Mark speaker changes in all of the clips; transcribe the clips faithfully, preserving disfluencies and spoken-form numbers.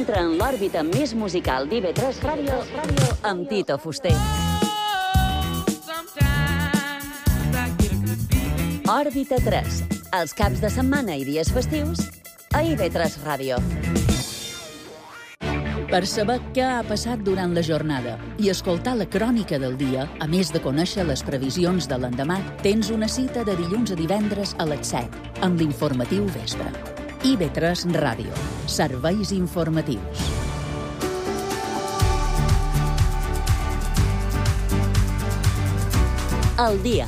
Speaker 1: Entra en l'òrbita més musical d'I V tres Ràdio amb Tito Fuster. Òrbita tres, els caps de setmana i dies festius a I V tres Ràdio. Per saber què ha passat durant la jornada i escoltar la crònica del dia, a més de conèixer les previsions de l'endemà, tens una cita de dilluns a divendres a les set, amb l'informatiu vespre. I V tres Ràdio. Serveis informatius. El dia,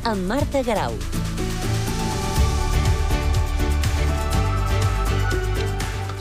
Speaker 1: amb Marta Garau.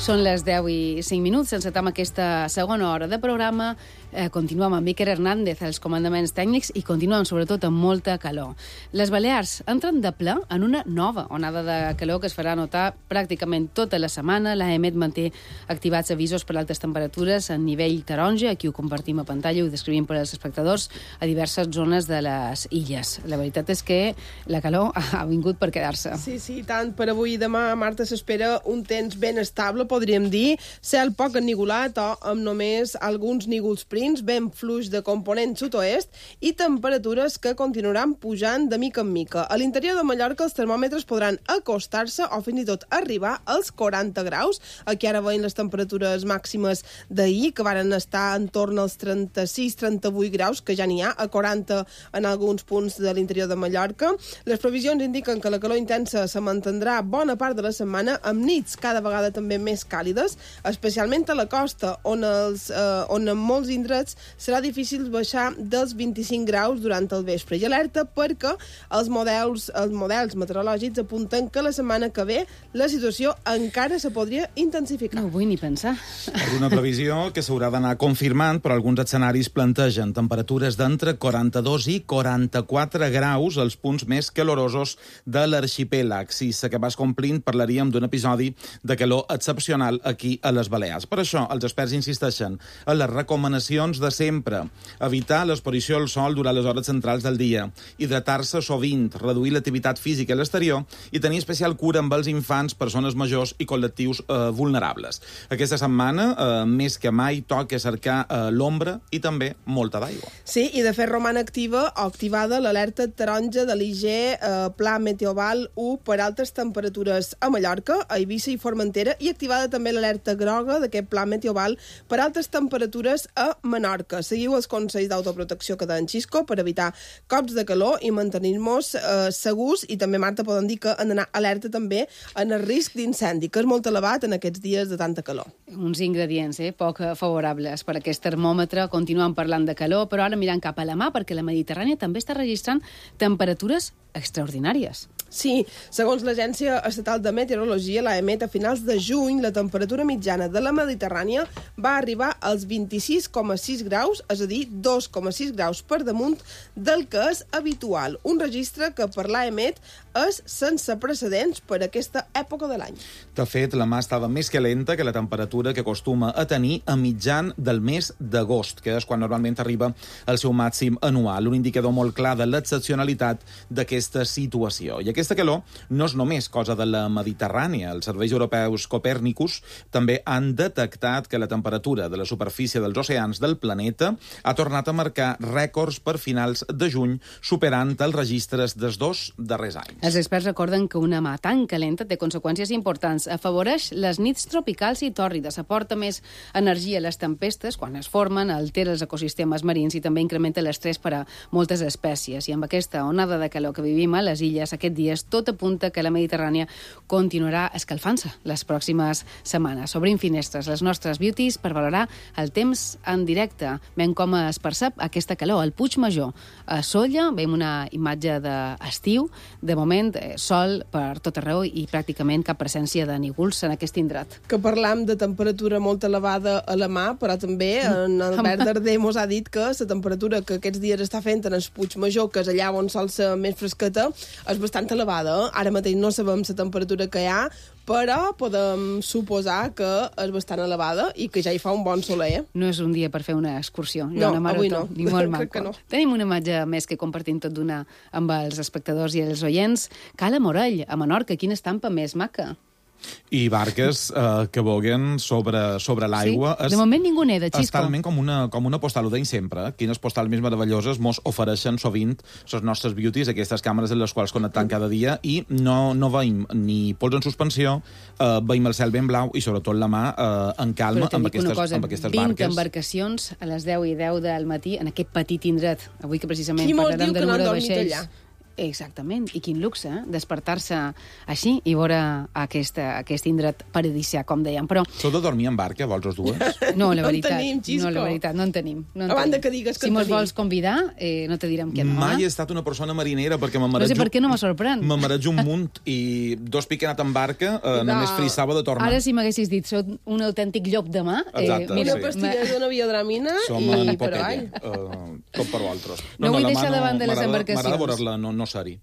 Speaker 2: Són les deu i cinc minuts, encetem aquesta segona hora de programa. Eh, continuem amb Iker Hernández als comandaments tècnics i continuem sobretot amb molta calor. Les Balears entren de ple en una nova onada de calor que es farà notar pràcticament tota la setmana. L'A E M E T manté activats avisos per altes temperatures en nivell taronja. Aquí ho compartim a pantalla i ho descrivim per als espectadors a diverses zones de les illes. La veritat és que la calor ha vingut per quedar-se.
Speaker 3: Sí, sí, tant. Per avui i demà, Marta, s'espera un temps ben estable, podríem dir, cel poc ennigolat o amb només alguns nígols prims, ben fluix de component sud-oest i temperatures que continuaran pujant de mica en mica. A l'interior de Mallorca els termòmetres podran acostar-se o fins i tot arribar als quaranta graus. Aquí ara veiem les temperatures màximes d'ahir, que varen estar en torn als trenta-sis trenta-vuit graus, que ja n'hi ha, a quaranta en alguns punts de l'interior de Mallorca. Les previsions indiquen que la calor intensa se mantindrà bona part de la setmana, amb nits cada vegada també més càlides, especialment a la costa, on, els, eh, on en molts indrets serà difícil baixar dels vint-i-cinc graus durant el vespre. I alerta perquè els models, els models meteorològics apunten que la setmana que ve la situació encara se podria intensificar.
Speaker 2: No ho vull ni pensar.
Speaker 4: Una previsió que s'haurà d'anar confirmant, però alguns escenaris plantegen temperatures d'entre quaranta-dos i quaranta-quatre graus als punts més calorosos de l'arxipèlag. Si s'acabés complint, parlaríem d'un episodi de calor excepcional aquí a les Balears. Per això, els experts insisteixen en les recomanacions de sempre. Evitar l'exposició al sol durant les hores centrals del dia, hidratar-se sovint, reduir l'activitat física a l'exterior i tenir especial cura amb els infants, persones majors i col·lectius eh, vulnerables. Aquesta setmana, eh, més que mai, toca cercar eh, l'ombra i també molta d'aigua.
Speaker 3: Sí, i de fet roman activa o activada l'alerta taronja de l'I G eh, Pla Meteoval u per altes temperatures a Mallorca, a Eivissa i Formentera, i activada també l'alerta groga d'aquest Pla Meteoval per altes temperatures a Menorca. Seguiu els consells d'autoprotecció que deien Xisco per evitar cops de calor i mantenir-nos eh, segurs, i també, Marta, poden dir que han d'anar alerta també en el risc d'incendi, que és molt elevat en aquests dies de tanta calor.
Speaker 2: Uns ingredients eh, poc favorables per a aquest termòmetre. Continuem parlant de calor, però ara mirant cap a la mà, perquè la Mediterrània també està registrant temperatures extraordinàries.
Speaker 3: Sí, segons l'Agència Estatal de Meteorologia, l'A E M E T, a finals de juny, la temperatura mitjana de la Mediterrània va arribar als vint-i-sis coma sis graus, és a dir, dos coma sis graus per damunt del que és habitual. Un registre que per l'A E M E T és sense precedents per aquesta època de l'any.
Speaker 4: De fet, la mà estava més calenta que la temperatura que acostuma a tenir a mitjan del mes d'agost, que és quan normalment arriba al seu màxim anual, un indicador molt clar de l'excepcionalitat d'aquesta situació. I aquesta calor no és només cosa de la Mediterrània. Els serveis europeus Copèrnicus també han detectat que la temperatura de la superfície dels oceans del planeta ha tornat a marcar rècords per finals de juny, superant els registres dels dos darrers anys.
Speaker 2: Els experts recorden que una mà tan calenta té conseqüències importants. Afavoreix les nits tropicals i tòrrides, aporta més energia a les tempestes quan es formen, altera els ecosistemes marins i també incrementa l'estrès per a moltes espècies. I amb aquesta onada de calor que vivim a les illes aquest dies, tot apunta que la Mediterrània continuarà escalfant-se les pròximes setmanes. Obrim finestres, les nostres beauties, per valorar el temps en directe. Veiem com es percep aquesta calor. Al Puig Major, a Sóller, veiem una imatge d'estiu. De moment, sol per tot arreu i pràcticament cap presència de nígols en aquest indret.
Speaker 3: Que parlam de temperatura molt elevada a la mà, però també en Albert Darder mos ha dit que la temperatura que aquests dies està fent en el Puig Major, que és allà on sol ser més fresqueta, és bastant elevada. Ara mateix no sabem la temperatura que hi ha, però podem suposar que és bastant elevada i que ja hi fa un bon soler.
Speaker 2: No és un dia per fer una excursió,
Speaker 3: no,
Speaker 2: una marató,
Speaker 3: avui no.
Speaker 2: Ni molt maco.
Speaker 3: Crec que no.
Speaker 2: Tenim una imatge més que compartim tot d'una amb els espectadors i els oients. Cala Morell, a Menorca, quina estampa més maca.
Speaker 4: I barques eh, que voguen sobre, sobre l'aigua.
Speaker 2: Sí? De moment ningú neda, Xisco.
Speaker 4: És talment com una, com una postal, ho deim sempre. Eh? Quines postals més meravelloses mos ofereixen sovint les nostres beauties, aquestes càmeres en les quals connectem cada dia, i no, no veiem ni pols en suspensió, eh, veiem el cel ben blau i sobretot la mà eh, en calma amb aquestes,
Speaker 2: cosa,
Speaker 4: amb aquestes
Speaker 2: vint
Speaker 4: barques.
Speaker 2: embarcacions a les deu i deu del matí en aquest petit indret. Avui que precisament
Speaker 3: Qui mos
Speaker 2: parlarem
Speaker 3: diu
Speaker 2: de
Speaker 3: que no han
Speaker 2: número de
Speaker 3: dormit
Speaker 2: vaixells.
Speaker 3: allà?
Speaker 2: Exactament, i quin luxe, eh? Despertar-se així i veure aquesta, aquest indret paradisià, com dèiem. Però
Speaker 4: Sou de dormir en barca, vols els dues?
Speaker 2: no, la
Speaker 3: No en
Speaker 2: veritat,
Speaker 3: tenim, Xisco.
Speaker 2: no, la veritat, no en tenim. No en
Speaker 3: A banda
Speaker 2: tenim.
Speaker 3: que digues que
Speaker 2: si
Speaker 3: en
Speaker 2: mos
Speaker 3: tenim.
Speaker 2: vols convidar, eh, no te direm que no.
Speaker 4: Mai
Speaker 2: Eh?
Speaker 4: he estat una persona marinera perquè me
Speaker 2: No
Speaker 4: marejo...
Speaker 2: sé per què no me sorprèn.
Speaker 4: Me marejo un munt i dos pics que he anat en barca eh,
Speaker 3: No.
Speaker 4: només frissava de tornar.
Speaker 2: Ara si m'haguessis dit, sóc un autèntic llop de mà...
Speaker 4: Exacte,
Speaker 2: eh, mira,
Speaker 3: Una pastilla d'una biodramina
Speaker 4: Som
Speaker 3: i
Speaker 4: en
Speaker 3: per
Speaker 4: Popeye,
Speaker 3: avall.
Speaker 4: uh, tot per vosaltres.
Speaker 2: No vull
Speaker 4: la
Speaker 2: deixar
Speaker 4: mà
Speaker 2: davant de les
Speaker 4: m'agrada-
Speaker 2: embarcacions.
Speaker 4: M'agrada veure-la, no, no ser-hi.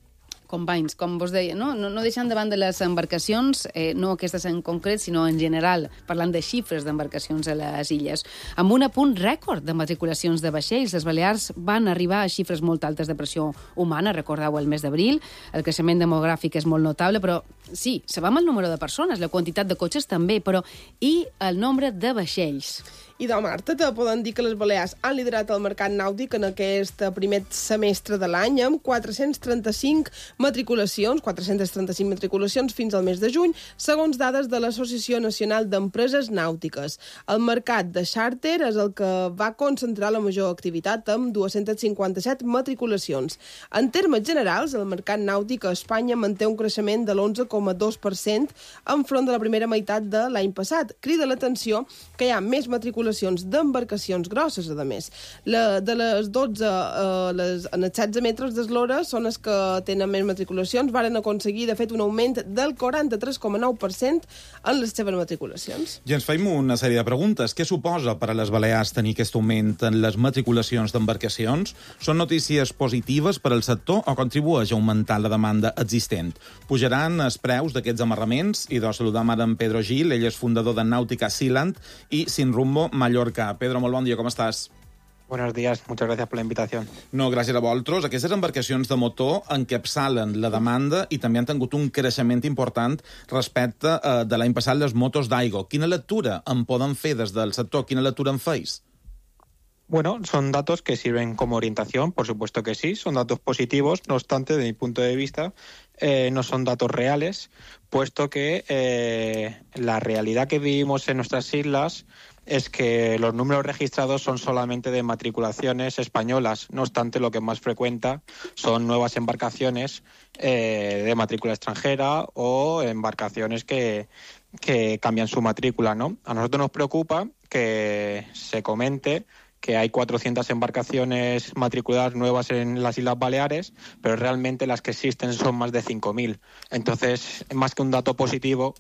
Speaker 2: companys, com vos deia, no, no, no deixant davant de les embarcacions, eh, no aquestes en concret, sinó en general, parlant de xifres d'embarcacions a les illes. Amb un apunt rècord de matriculacions de vaixells, les Balears van arribar a xifres molt altes de pressió humana, recordeu el mes d'abril, el creixement demogràfic és molt notable, però sí, sabem el número de persones, la quantitat de cotxes també, però i el nombre de vaixells?
Speaker 3: I de Marta, te poden dir que les Balears han liderat el mercat nàutic en aquest primer semestre de l'any amb quatre-cents trenta-cinc matriculacions, quatre-cents trenta-cinc matriculacions fins al mes de juny, segons dades de l'Associació Nacional d'Empreses Nàutiques. El mercat de xàrter és el que va concentrar la major activitat amb dues-centes cinquanta-set matriculacions. En termes generals, el mercat nàutic a Espanya manté un creixement de l'onze coma dos per cent enfront de la primera meitat de l'any passat. Crida l'atenció que hi ha més matriculacions d'embarcacions grosses, a més. La, de les dotze, eh, les, en els setze metres d'eslora són les que tenen més matriculacions, varen aconseguir, de fet, un augment del quaranta-tres coma nou per cent en les seves matriculacions.
Speaker 4: I ens feim una sèrie de preguntes. Què suposa per a les Balears tenir aquest augment en les matriculacions d'embarcacions? Són notícies positives per al sector o contribueix a augmentar la demanda existent? Pujaran els preus d'aquests amarraments? I de saludar ara en Pedro Gil, ell és fundador de Nàutica Sealand i Sin Rumbo Mallorca. Pedro, molt bon dia, com estàs?
Speaker 5: Buenos días, muchas gracias por la invitación.
Speaker 4: No, gràcies a vosaltres. Aquestes embarcacions de motor encapçalen la demanda i també han tingut un creixement important respecte eh, de l'any passat les motos d'aigua. Quina lectura en poden fer des del sector? Quina lectura en feis?
Speaker 5: Bueno, son datos que sirven como orientación, por supuesto que sí, son datos positivos, no obstante, de mi punto de vista, eh, no son datos reales, puesto que eh, la realidad que vivimos en nuestras islas es que los números registrados son solamente de matriculaciones españolas. No obstante, lo que más frecuenta son nuevas embarcaciones eh, de matrícula extranjera o embarcaciones que, que cambian su matrícula, ¿no? A nosotros nos preocupa que se comente que hay cuatrocientas embarcaciones matriculadas nuevas en las Islas Baleares, pero realmente las que existen son más de cinco mil. Entonces, más que un dato positivo,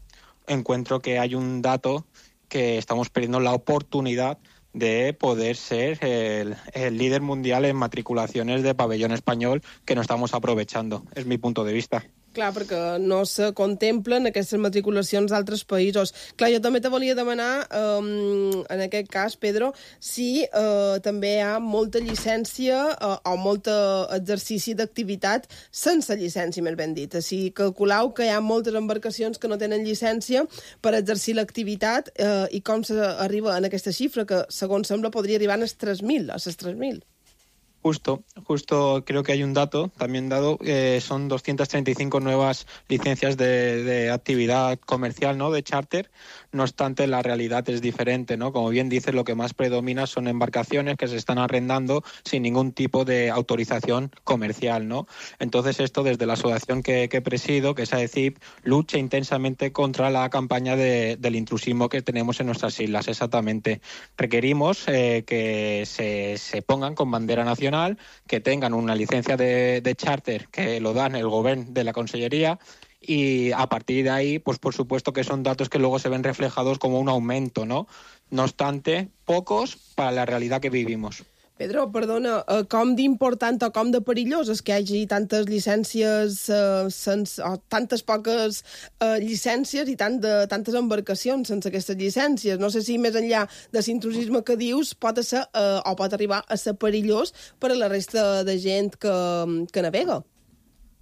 Speaker 5: encuentro que hay un dato que estamos perdiendo la oportunidad de poder ser el, el líder mundial en matriculaciones de pabellón español que no estamos aprovechando. Es mi punto de vista.
Speaker 3: Clar, perquè no se contemplen aquestes matriculacions d'altres països. Clar, jo també te volia demanar, um, en aquest cas, Pedro, si uh, també hi ha molta llicència uh, o molt exercici d'activitat sense llicència, més ben dit. Si calculeu que hi ha moltes embarcacions que no tenen llicència per exercir l'activitat uh, i com s'arriba en aquesta xifra, que, segons sembla, podria arribar a les tres mil, a les tres mil.
Speaker 5: Justo, justo creo que hay un dato también dado, eh, son doscientas treinta y cinco nuevas licencias de, de actividad comercial, ¿no?, de charter. No obstante, la realidad es diferente, ¿no? Como bien dices, lo que más predomina son embarcaciones que se están arrendando sin ningún tipo de autorización comercial, ¿no? Entonces, esto desde la asociación que, que presido, que es A E C I P, lucha intensamente contra la campaña de, del intrusismo que tenemos en nuestras islas, exactamente. Requerimos eh, que se, se pongan con bandera nacional, que tengan una licencia de, de charter que lo dan el gobierno de la Consellería, y a partir de ahí, pues por supuesto que son datos que luego se ven reflejados como un aumento, ¿no? No obstante, pocos para la realidad que vivimos.
Speaker 3: Pedro, perdona, eh, com d'important o com de perillós és que hi hagi tantes llicències, eh, sense, o tantes poques eh, llicències i tant de, tantes embarcacions sense aquestes llicències? No sé si més enllà de l'intrusisme que dius pot ser, eh, o pot arribar a ser perillós per a la resta de gent que, que navega.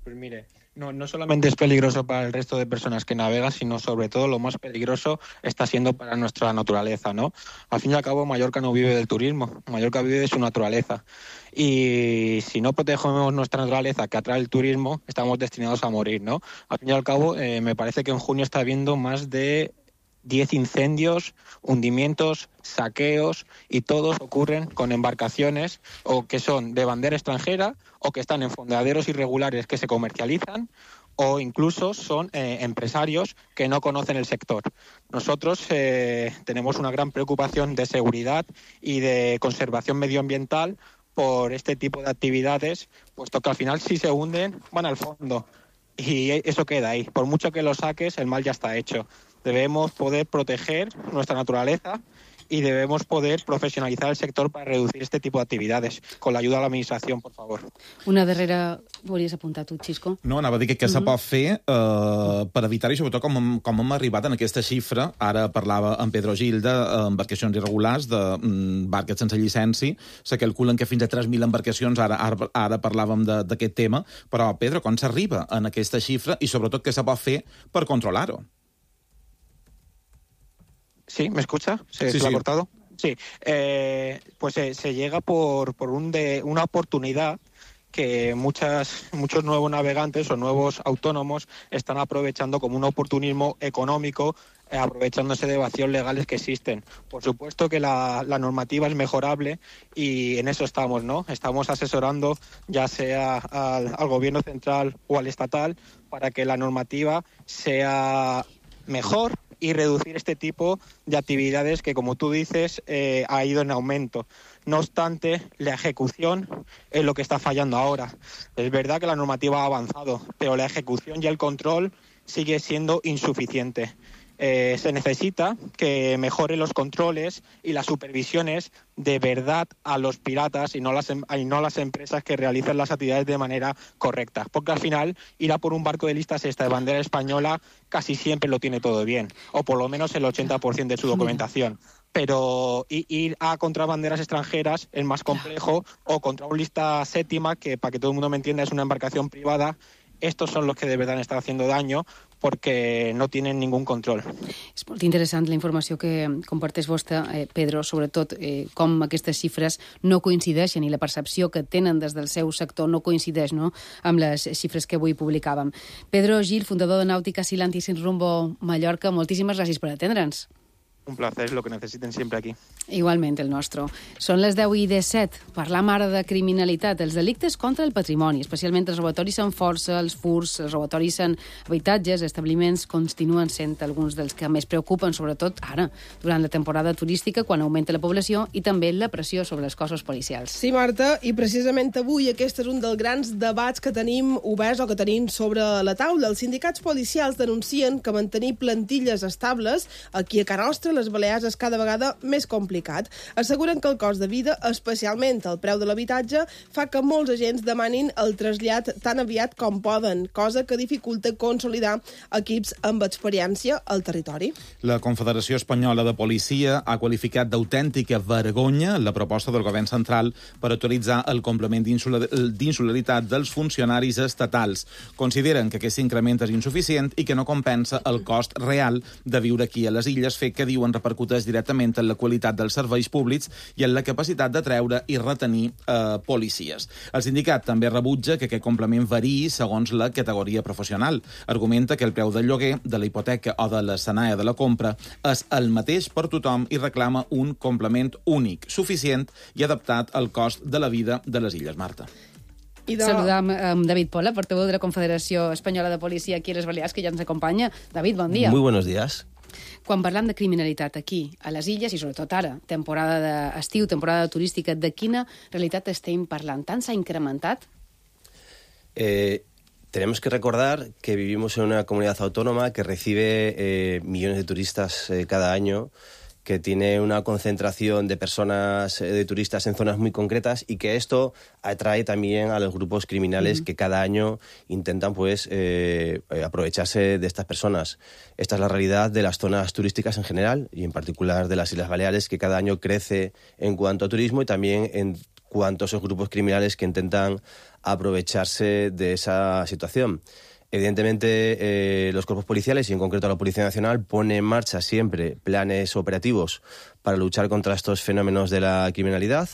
Speaker 5: Pues mire, No, no solamente es peligroso para el resto de personas que navegan, sino sobre todo lo más peligroso está siendo para nuestra naturaleza, ¿no? Al fin y al cabo, Mallorca no vive del turismo, Mallorca vive de su naturaleza. Y si no protegemos nuestra naturaleza que atrae el turismo, estamos destinados a morir, ¿no? Al fin y al cabo, eh, me parece que en junio está habiendo más de diez incendios, hundimientos, saqueos, y todos ocurren con embarcaciones o que son de bandera extranjera o que están en fondeaderos irregulares que se comercializan, o incluso son eh, empresarios que no conocen el sector. Nosotros eh, tenemos una gran preocupación de seguridad y de conservación medioambiental por este tipo de actividades, puesto que al final si se hunden van al fondo y eso queda ahí. Por mucho que lo saques, el mal ya está hecho. Debemos poder proteger nuestra naturaleza y debemos poder professionalitzar el sector per reducir este tipus d'activitats, con l'ajuda de l'administració, per favor.
Speaker 2: Una darrera... Volies apuntar tu, Xisco?
Speaker 4: No, anava a dir que què se pot fer eh, per evitar-ho, i sobretot com, com hem arribat en aquesta xifra. Ara parlava en Pedro Gil d'embarcacions irregulars, de mm, barques sense llicència. Se calculen que fins a tres mil embarcacions, ara, ara, ara parlàvem d'aquest tema, però, Pedro, com s'arriba en aquesta xifra i sobretot què se pot fer per controlar-ho?
Speaker 5: Sí, ¿me escucha? ¿Se,
Speaker 4: sí,
Speaker 5: ¿se
Speaker 4: sí.
Speaker 5: ha cortado? Sí, eh, pues eh, se llega por, por un de, una oportunidad que muchas, muchos nuevos navegantes o nuevos autónomos están aprovechando como un oportunismo económico, eh, aprovechándose de vacíos legales que existen. Por supuesto que la, la normativa es mejorable y en eso estamos, ¿no? Estamos asesorando ya sea al, al gobierno central o al estatal para que la normativa sea mejor y reducir este tipo de actividades que, como tú dices, eh, ha ido en aumento. No obstante, la ejecución es lo que está fallando ahora. Es verdad que la normativa ha avanzado, pero la ejecución y el control sigue siendo insuficiente. Eh, se necesita que mejoren los controles y las supervisiones de verdad a los piratas y no las, y no las empresas que realizan las actividades de manera correcta. Porque al final, ir a por un barco de lista sexta de bandera española casi siempre lo tiene todo bien, o por lo menos el ochenta por ciento de su documentación. Pero ir a contra banderas extranjeras es más complejo, o contra un lista séptima, que para que todo el mundo me entienda es una embarcación privada. Estos son los que de verdad están haciendo daño perquè no tenen ningú control.
Speaker 2: És molt interessant la informació que comparteix vostè, eh, Pedro, sobretot eh, com aquestes xifres no coincideixen i la percepció que tenen des del seu sector no coincideix, no?, amb les xifres que avui publicàvem. Pedro Gil, fundador de Nàutica Silanti Sin Rumbo Mallorca, moltíssimes gràcies per atendre'ns.
Speaker 5: Un placer, lo que necesiten siempre aquí.
Speaker 2: Igualment, el nostre. Són les deu i disset. Parlam ara de criminalitat, els delictes contra el patrimoni, especialment els robatoris en força, els furts, els robatoris en habitatges, establiments, continuen sent alguns dels que més preocupen, sobretot ara, durant la temporada turística, quan augmenta la població i també la pressió sobre els cossos policials.
Speaker 3: Sí, Marta, i precisament avui aquest és un dels grans debats que tenim oberts o que tenim sobre la taula. Els sindicats policials denuncien que mantenir plantilles estables aquí a Can Nostra, les Balears, és cada vegada més complicat. Asseguren que el cost de vida, especialment el preu de l'habitatge, fa que molts agents demanin el trasllat tan aviat com poden, cosa que dificulta consolidar equips amb experiència al territori.
Speaker 4: La Confederació Espanyola de Policia ha qualificat d'autèntica vergonya la proposta del govern central per autoritzar el complement d'insularitat dels funcionaris estatals. Consideren que aquest increment és insuficient i que no compensa el cost real de viure aquí a les illes, fet que diuen repercuteix directament en la qualitat dels serveis públics i en la capacitat de treure i retenir eh, policies. El sindicat també rebutja que aquest complement variï segons la categoria professional. Argumenta que el preu del lloguer, de la hipoteca o de l'escenari de la compra és el mateix per tothom i reclama un complement únic, suficient i adaptat al cost de la vida de les illes. Marta.
Speaker 3: I de...
Speaker 2: Saludam amb David Pola, portaveu de la Confederació Espanyola de Policia aquí a les Balears, que ja ens acompanya. David, bon dia.
Speaker 6: Muy buenos días.
Speaker 2: Quan parlam de criminalitat aquí, a les illes, i sobretot ara, temporada d'estiu, temporada turística, de quina realitat estem parlant? Tant s'ha incrementat?
Speaker 6: Eh, tenemos que recordar que vivimos en una comunidad autónoma que recibe eh, millones de turistas eh, cada año, que tiene una concentración de personas, eh, de turistas en zonas muy concretas, y que esto atrae también a los grupos criminales uh-huh. que cada año intentan pues eh, aprovecharse de estas personas. Esta es la realidad de las zonas turísticas en general y en particular de las Islas Baleares, que cada año crece en cuanto a turismo y también en cuanto a esos grupos criminales que intentan aprovecharse de esa situación. Evidentemente, eh, los cuerpos policiales, y en concreto la Policía Nacional, pone en marcha siempre planes operativos para luchar contra estos fenómenos de la criminalidad.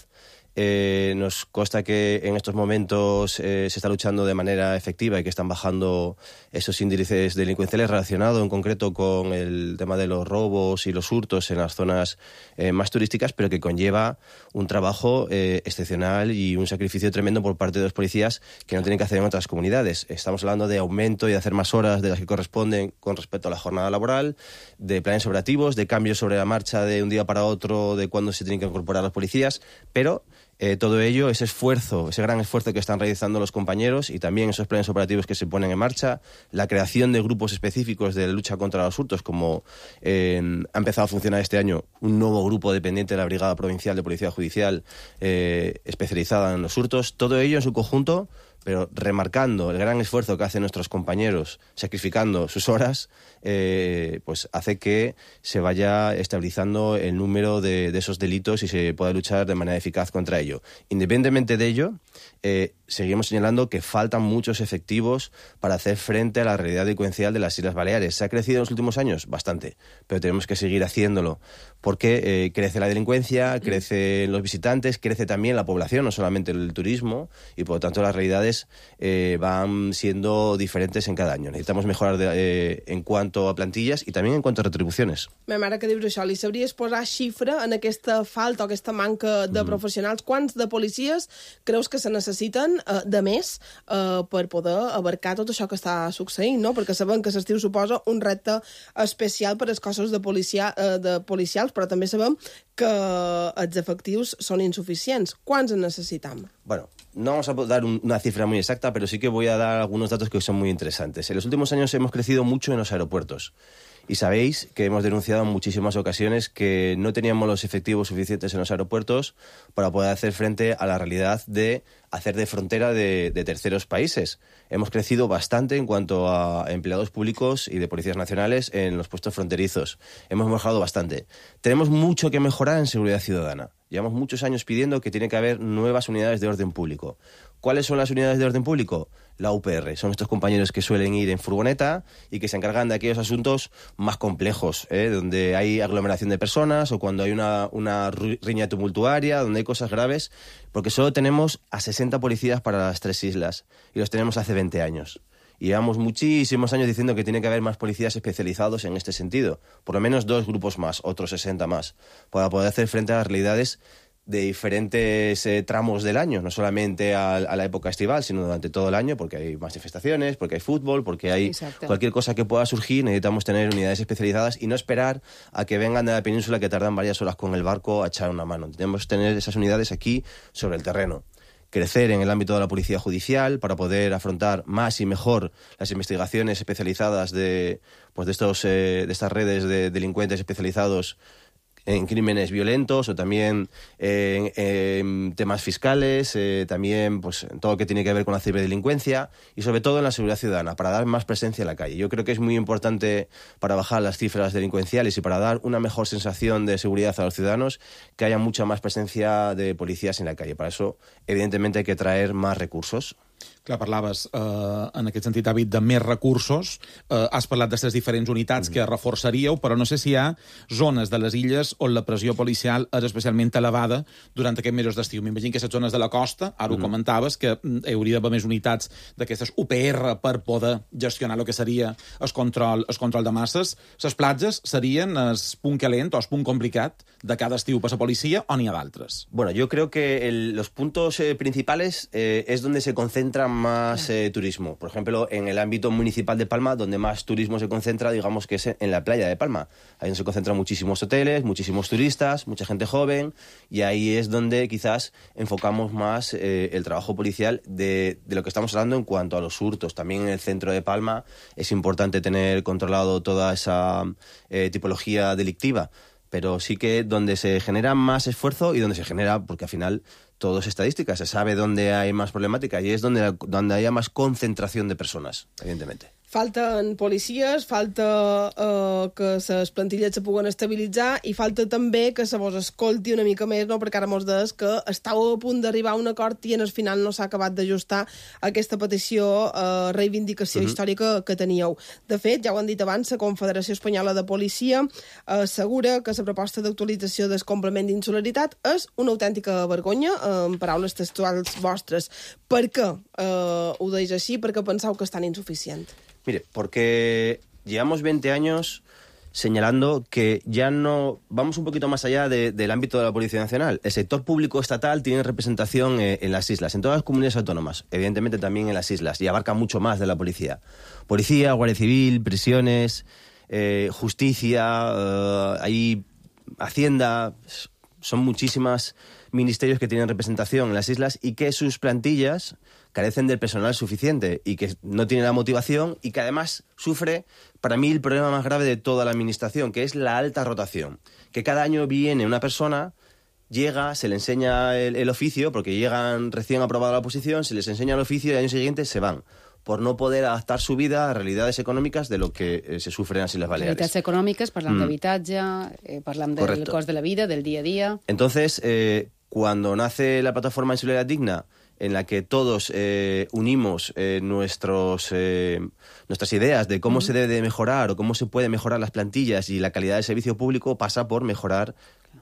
Speaker 6: Eh, nos consta que en estos momentos eh, se está luchando de manera efectiva y que están bajando esos índices delincuenciales relacionados en concreto con el tema de los robos y los hurtos en las zonas eh, más turísticas, pero que conlleva un trabajo eh, excepcional y un sacrificio tremendo por parte de los policías que no tienen que hacer en otras comunidades. Estamos hablando de aumento y de hacer más horas de las que corresponden con respecto a la jornada laboral, de planes operativos, de cambios sobre la marcha de un día para otro de cuándo se tienen que incorporar los policías, pero Eh, todo ello, ese esfuerzo, ese gran esfuerzo que están realizando los compañeros y también esos planes operativos que se ponen en marcha, la creación de grupos específicos de lucha contra los hurtos, como eh, ha empezado a funcionar este año un nuevo grupo dependiente de la Brigada Provincial de Policía Judicial eh, especializada en los hurtos, todo ello en su conjunto, pero remarcando el gran esfuerzo que hacen nuestros compañeros, sacrificando sus horas, eh, pues hace que se vaya estabilizando el número de, de esos delitos y se pueda luchar de manera eficaz contra ello. Independientemente de ello, eh, seguimos señalando que faltan muchos efectivos para hacer frente a la realidad delincuencial de las Islas Baleares. ¿Se ha crecido en los últimos años? Bastante, pero tenemos que seguir haciéndolo, porque eh, crece la delincuencia, crecen los visitantes, crece también la población, no solamente el turismo, y por lo tanto las realidades Eh, van siendo diferentes en cada año. Necesitamos mejorar de, eh, en cuanto a plantillas i també en quant a retribucions.
Speaker 3: Ma mare que dius això, li sabries posar xifra en aquesta falta o aquesta manca de mm. professionals? Quants de policies creus que se necessiten eh, de més eh, per poder abarcar tot això que està succeint, no? Perquè sabem que l'estiu suposa un repte especial per als cossos de, policia, eh, de policials, però també sabem que els efectius són insuficients. Quants en necessitam?
Speaker 6: Bueno, no vamos a dar un, una cifra muy exacta, pero sí que voy a dar algunos datos que son muy interesantes. En los últimos años hemos crecido mucho en los aeropuertos. Y sabéis que hemos denunciado en muchísimas ocasiones que no teníamos los efectivos suficientes en los aeropuertos para poder hacer frente a la realidad de hacer de frontera de, de terceros países. Hemos crecido bastante en cuanto a empleados públicos y de policías nacionales en los puestos fronterizos. Hemos mejorado bastante. Tenemos mucho que mejorar en seguridad ciudadana. Llevamos muchos años pidiendo que tiene que haber nuevas unidades de orden público. ¿Cuáles son las unidades de orden público? La U P R. Son estos compañeros que suelen ir en furgoneta y que se encargan de aquellos asuntos más complejos, ¿eh? Donde hay aglomeración de personas o cuando hay una, una riña tumultuaria, donde hay cosas graves, porque solo tenemos a sesenta policías para las tres islas y los tenemos hace veinte años. Y llevamos muchísimos años diciendo que tiene que haber más policías especializados en este sentido, por lo menos dos grupos más, otros sesenta más, para poder hacer frente a las realidades de diferentes eh, tramos del año, no solamente a, a la época estival, sino durante todo el año, porque hay manifestaciones, porque hay fútbol, porque hay Exacto. cualquier cosa que pueda surgir. Necesitamos tener unidades especializadas y no esperar a que vengan de la península, que tardan varias horas con el barco a echar una mano. Tenemos que tener esas unidades aquí sobre el terreno. Crecer en el ámbito de la policía judicial para poder afrontar más y mejor las investigaciones especializadas de, pues de, estos, eh, de estas redes de delincuentes especializados en crímenes violentos o también eh, en, en temas fiscales, eh, también pues en todo lo que tiene que ver con la ciberdelincuencia y sobre todo en la seguridad ciudadana, para dar más presencia en la calle. Yo creo que es muy importante para bajar las cifras delincuenciales y para dar una mejor sensación de seguridad a los ciudadanos que haya mucha más presencia de policías en la calle. Para eso, evidentemente, hay que traer más recursos.
Speaker 4: Clar, parlaves, eh, en aquest sentit, David, de més recursos. Eh, has parlat d'aquestes diferents unitats mm. que reforçaríeu, però no sé si hi ha zones de les illes on la pressió policial és especialment elevada durant aquests mesos d'estiu. M'imagino que les zones de la costa, ara mm. ho comentaves, que hi hauria d'haver més unitats d'aquestes U P R per poder gestionar el que seria el control, el control de masses. Les platges serien el punt calent o el punt complicat de cada estiu per la policia, o n'hi ha d'altres?
Speaker 6: Bueno, yo creo que el, los puntos eh, principales eh, es donde se concentra más eh, turismo. Por ejemplo, en el ámbito municipal de Palma, donde más turismo se concentra, digamos que es en la playa de Palma. Ahí donde se concentran muchísimos hoteles, muchísimos turistas, mucha gente joven, y ahí es donde quizás enfocamos más eh, el trabajo policial de, de lo que estamos hablando en cuanto a los hurtos. También en el centro de Palma es importante tener controlado toda esa eh, tipología delictiva, pero sí que donde se genera más esfuerzo y donde se genera, porque al final todo es estadística, se sabe dónde hay más problemática y es donde, donde haya más concentración de personas, evidentemente.
Speaker 3: Falten policies, falta eh, que les plantilles se puguen estabilitzar i falta també que se vos escolti una mica més, no? Perquè ara mos deies que estàu a punt d'arribar a un acord i en el final no s'ha acabat d'ajustar aquesta petició, eh, reivindicació uh-huh. històrica que teníeu. De fet, ja ho han dit abans, la Confederació Espanyola de Policia eh, assegura que la proposta d'actualització del complement d'insularitat és una autèntica vergonya, en paraules textuals vostres. Per què eh, ho deis així? Per què penseu que és tan insuficient?
Speaker 6: Mire, porque llevamos veinte años señalando que ya no... Vamos un poquito más allá de, del ámbito de la Policía Nacional. El sector público estatal tiene representación eh, en las islas, en todas las comunidades autónomas, evidentemente también en las islas, y abarca mucho más de la policía. Policía, Guardia Civil, prisiones, eh, justicia, eh, hay Hacienda... Son muchísimas ministerios que tienen representación en las islas y que sus plantillas carecen del personal suficiente y que no tienen la motivación y que además sufre, para mí, el problema más grave de toda la administración, que es la alta rotación. Que cada año viene una persona, llega, se le enseña el, el oficio, porque llegan recién aprobada la oposición, se les enseña el oficio y el año siguiente se van, por no poder adaptar su vida a realidades econòmiques de lo que eh, se sufre en las Islas Baleares.
Speaker 2: Realitats econòmiques, parlant mm. d'habitatge, eh, parlant del
Speaker 6: Correcto.
Speaker 2: cost de la vida, del día a día...
Speaker 6: Entonces, eh, cuando nace la plataforma Insularidad Digna, en la que todos eh, unimos eh, nuestros, eh, nuestras ideas de cómo mm. se debe de mejorar o cómo se puede mejorar las plantillas y la calidad del servicio público, pasa por mejorar,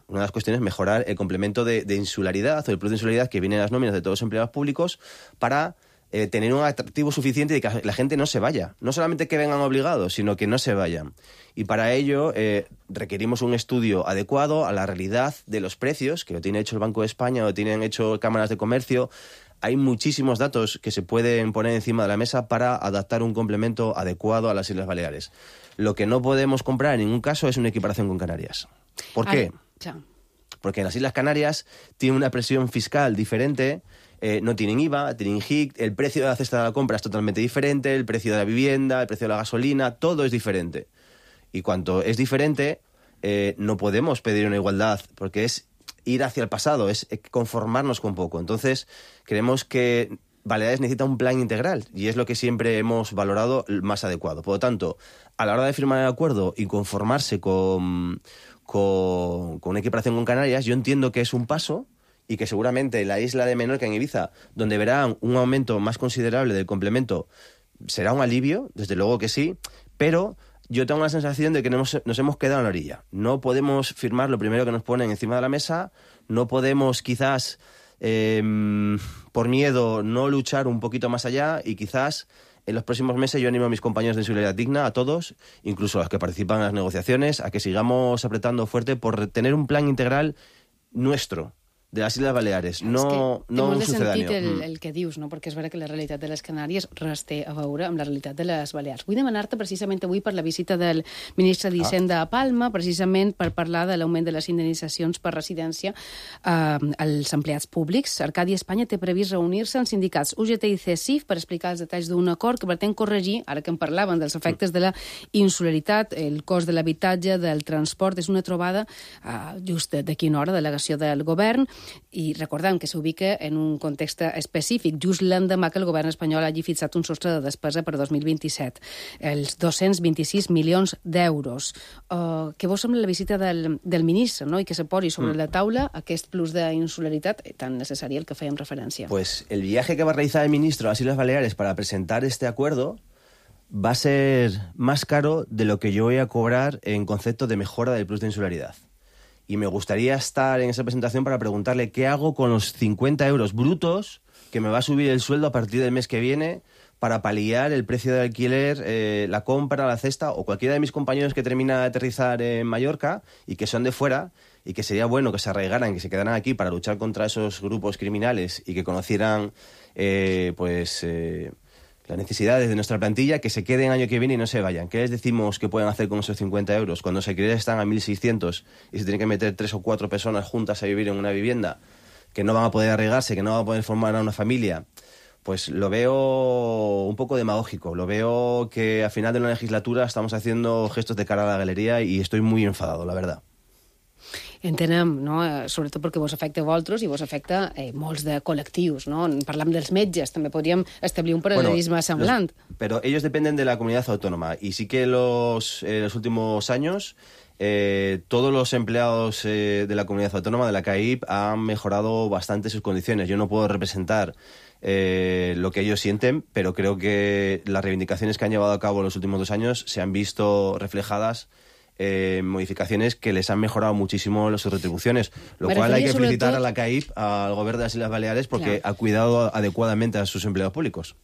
Speaker 6: una de las cuestiones, mejorar el complemento de, de insularidad o el plus de insularidad que viene en las nóminas de todos los empleados públicos para... Eh, tener un atractivo suficiente y que la gente no se vaya. No solamente que vengan obligados, sino que no se vayan. Y para ello eh, requerimos un estudio adecuado a la realidad de los precios, que lo tiene hecho el Banco de España, lo tienen hecho cámaras de comercio. Hay muchísimos datos que se pueden poner encima de la mesa para adaptar un complemento adecuado a las Islas Baleares. Lo que no podemos comprar en ningún caso es una equiparación con Canarias. ¿Por qué?
Speaker 2: Ay,
Speaker 6: Porque en las Islas Canarias tiene una presión fiscal diferente. Eh, no tienen I V A, tienen H I C, el precio de la cesta de la compra es totalmente diferente, el precio de la vivienda, el precio de la gasolina, todo es diferente. Y cuanto es diferente, eh, no podemos pedir una igualdad, porque es ir hacia el pasado, es conformarnos con poco. Entonces, creemos que Baleares necesita un plan integral, y es lo que siempre hemos valorado más adecuado. Por lo tanto, a la hora de firmar el acuerdo y conformarse con, con, con una equiparación con Canarias, yo entiendo que es un paso, y que seguramente la isla de Menorca, en Ibiza, donde verán un aumento más considerable del complemento, será un alivio, desde luego que sí, pero yo tengo la sensación de que nos, nos hemos quedado en la orilla. No podemos firmar lo primero que nos ponen encima de la mesa, no podemos quizás, eh, por miedo, no luchar un poquito más allá, y quizás en los próximos meses yo animo a mis compañeros de Insularidad Digna, a todos, incluso a los que participan en las negociaciones, a que sigamos apretando fuerte por tener un plan integral nuestro, de les Illes Baleares, no,
Speaker 2: que
Speaker 6: no un
Speaker 2: sucedáneo. Té molt de sentit el,
Speaker 6: Mm.
Speaker 2: el que dius, no? Perquè és vera que la realitat de les Canàries res té a veure amb la realitat de les Balears. Vull demanar-te precisament avui per la visita del ministre d'Hisenda a Palma, precisament per parlar de l'augment de les indemnitzacions per residència eh, als empleats públics. Arcadi Espanya té previst reunir-se amb sindicats U G T i C E S I F per explicar els detalls d'un acord que pretén corregir, ara que en parlaven, dels efectes de la insularitat, el cost de l'habitatge, del transport. És una trobada eh, just d'aquí una hora, delegació del govern, i recordem que s'ubica en un context específic, just l'endemà que el govern espanyol hagi fixat un sostre de despesa per dos mil vint-i-set, els dos-cents vint-i-sis milions d'euros. Uh, què vos sembla la visita del, del ministre, no? I que se posi sobre la taula aquest plus d'insularitat tan necessari al que fèiem referència?
Speaker 6: Pues el viaje que va a realizar el ministro a las Islas Baleares para presentar este acuerdo va a ser más caro de lo que yo voy a cobrar en concepto de mejora del plus de insularidad. Y me gustaría estar en esa presentación para preguntarle qué hago con los cincuenta euros brutos que me va a subir el sueldo a partir del mes que viene para paliar el precio de alquiler, eh, la compra, la cesta, o cualquiera de mis compañeros que termina de aterrizar en Mallorca y que son de fuera, y que sería bueno que se arraigaran, que se quedaran aquí para luchar contra esos grupos criminales y que conocieran eh, pues... Eh, las necesidades de nuestra plantilla, que se queden año que viene y no se vayan. ¿Qué les decimos que pueden hacer con esos cincuenta euros? Cuando los alquileres están a mil seiscientos y se tienen que meter tres o cuatro personas juntas a vivir en una vivienda, que no van a poder arraigarse, que no van a poder formar a una familia, pues lo veo un poco demagógico. Lo veo que al final de la legislatura estamos haciendo gestos de cara a la galería y estoy muy enfadado, la verdad.
Speaker 2: Entenem, no? Sobretot perquè vos afecta a vosaltres i vos afecta eh, molts de col·lectius, no? Parlam dels metges, també podríem establir un paral·lelisme bueno, semblant.
Speaker 6: Los, pero ellos dependen de la comunidad autónoma y sí que los, eh, los últimos años eh, todos los empleados eh, de la comunidad autónoma, de la C A I P, han mejorado bastante sus condiciones. Yo no puedo representar eh, lo que ellos sienten, pero creo que las reivindicaciones que han llevado a cabo en los últimos dos años se han visto reflejadas Eh, modificaciones que les han mejorado muchísimo sus retribuciones, lo
Speaker 2: Me
Speaker 6: cual hay que felicitar
Speaker 2: tot...
Speaker 6: a la C A I P, al gobierno de las Islas Baleares, porque
Speaker 2: Clar.
Speaker 6: ha cuidado adecuadamente a sus empleados públicos.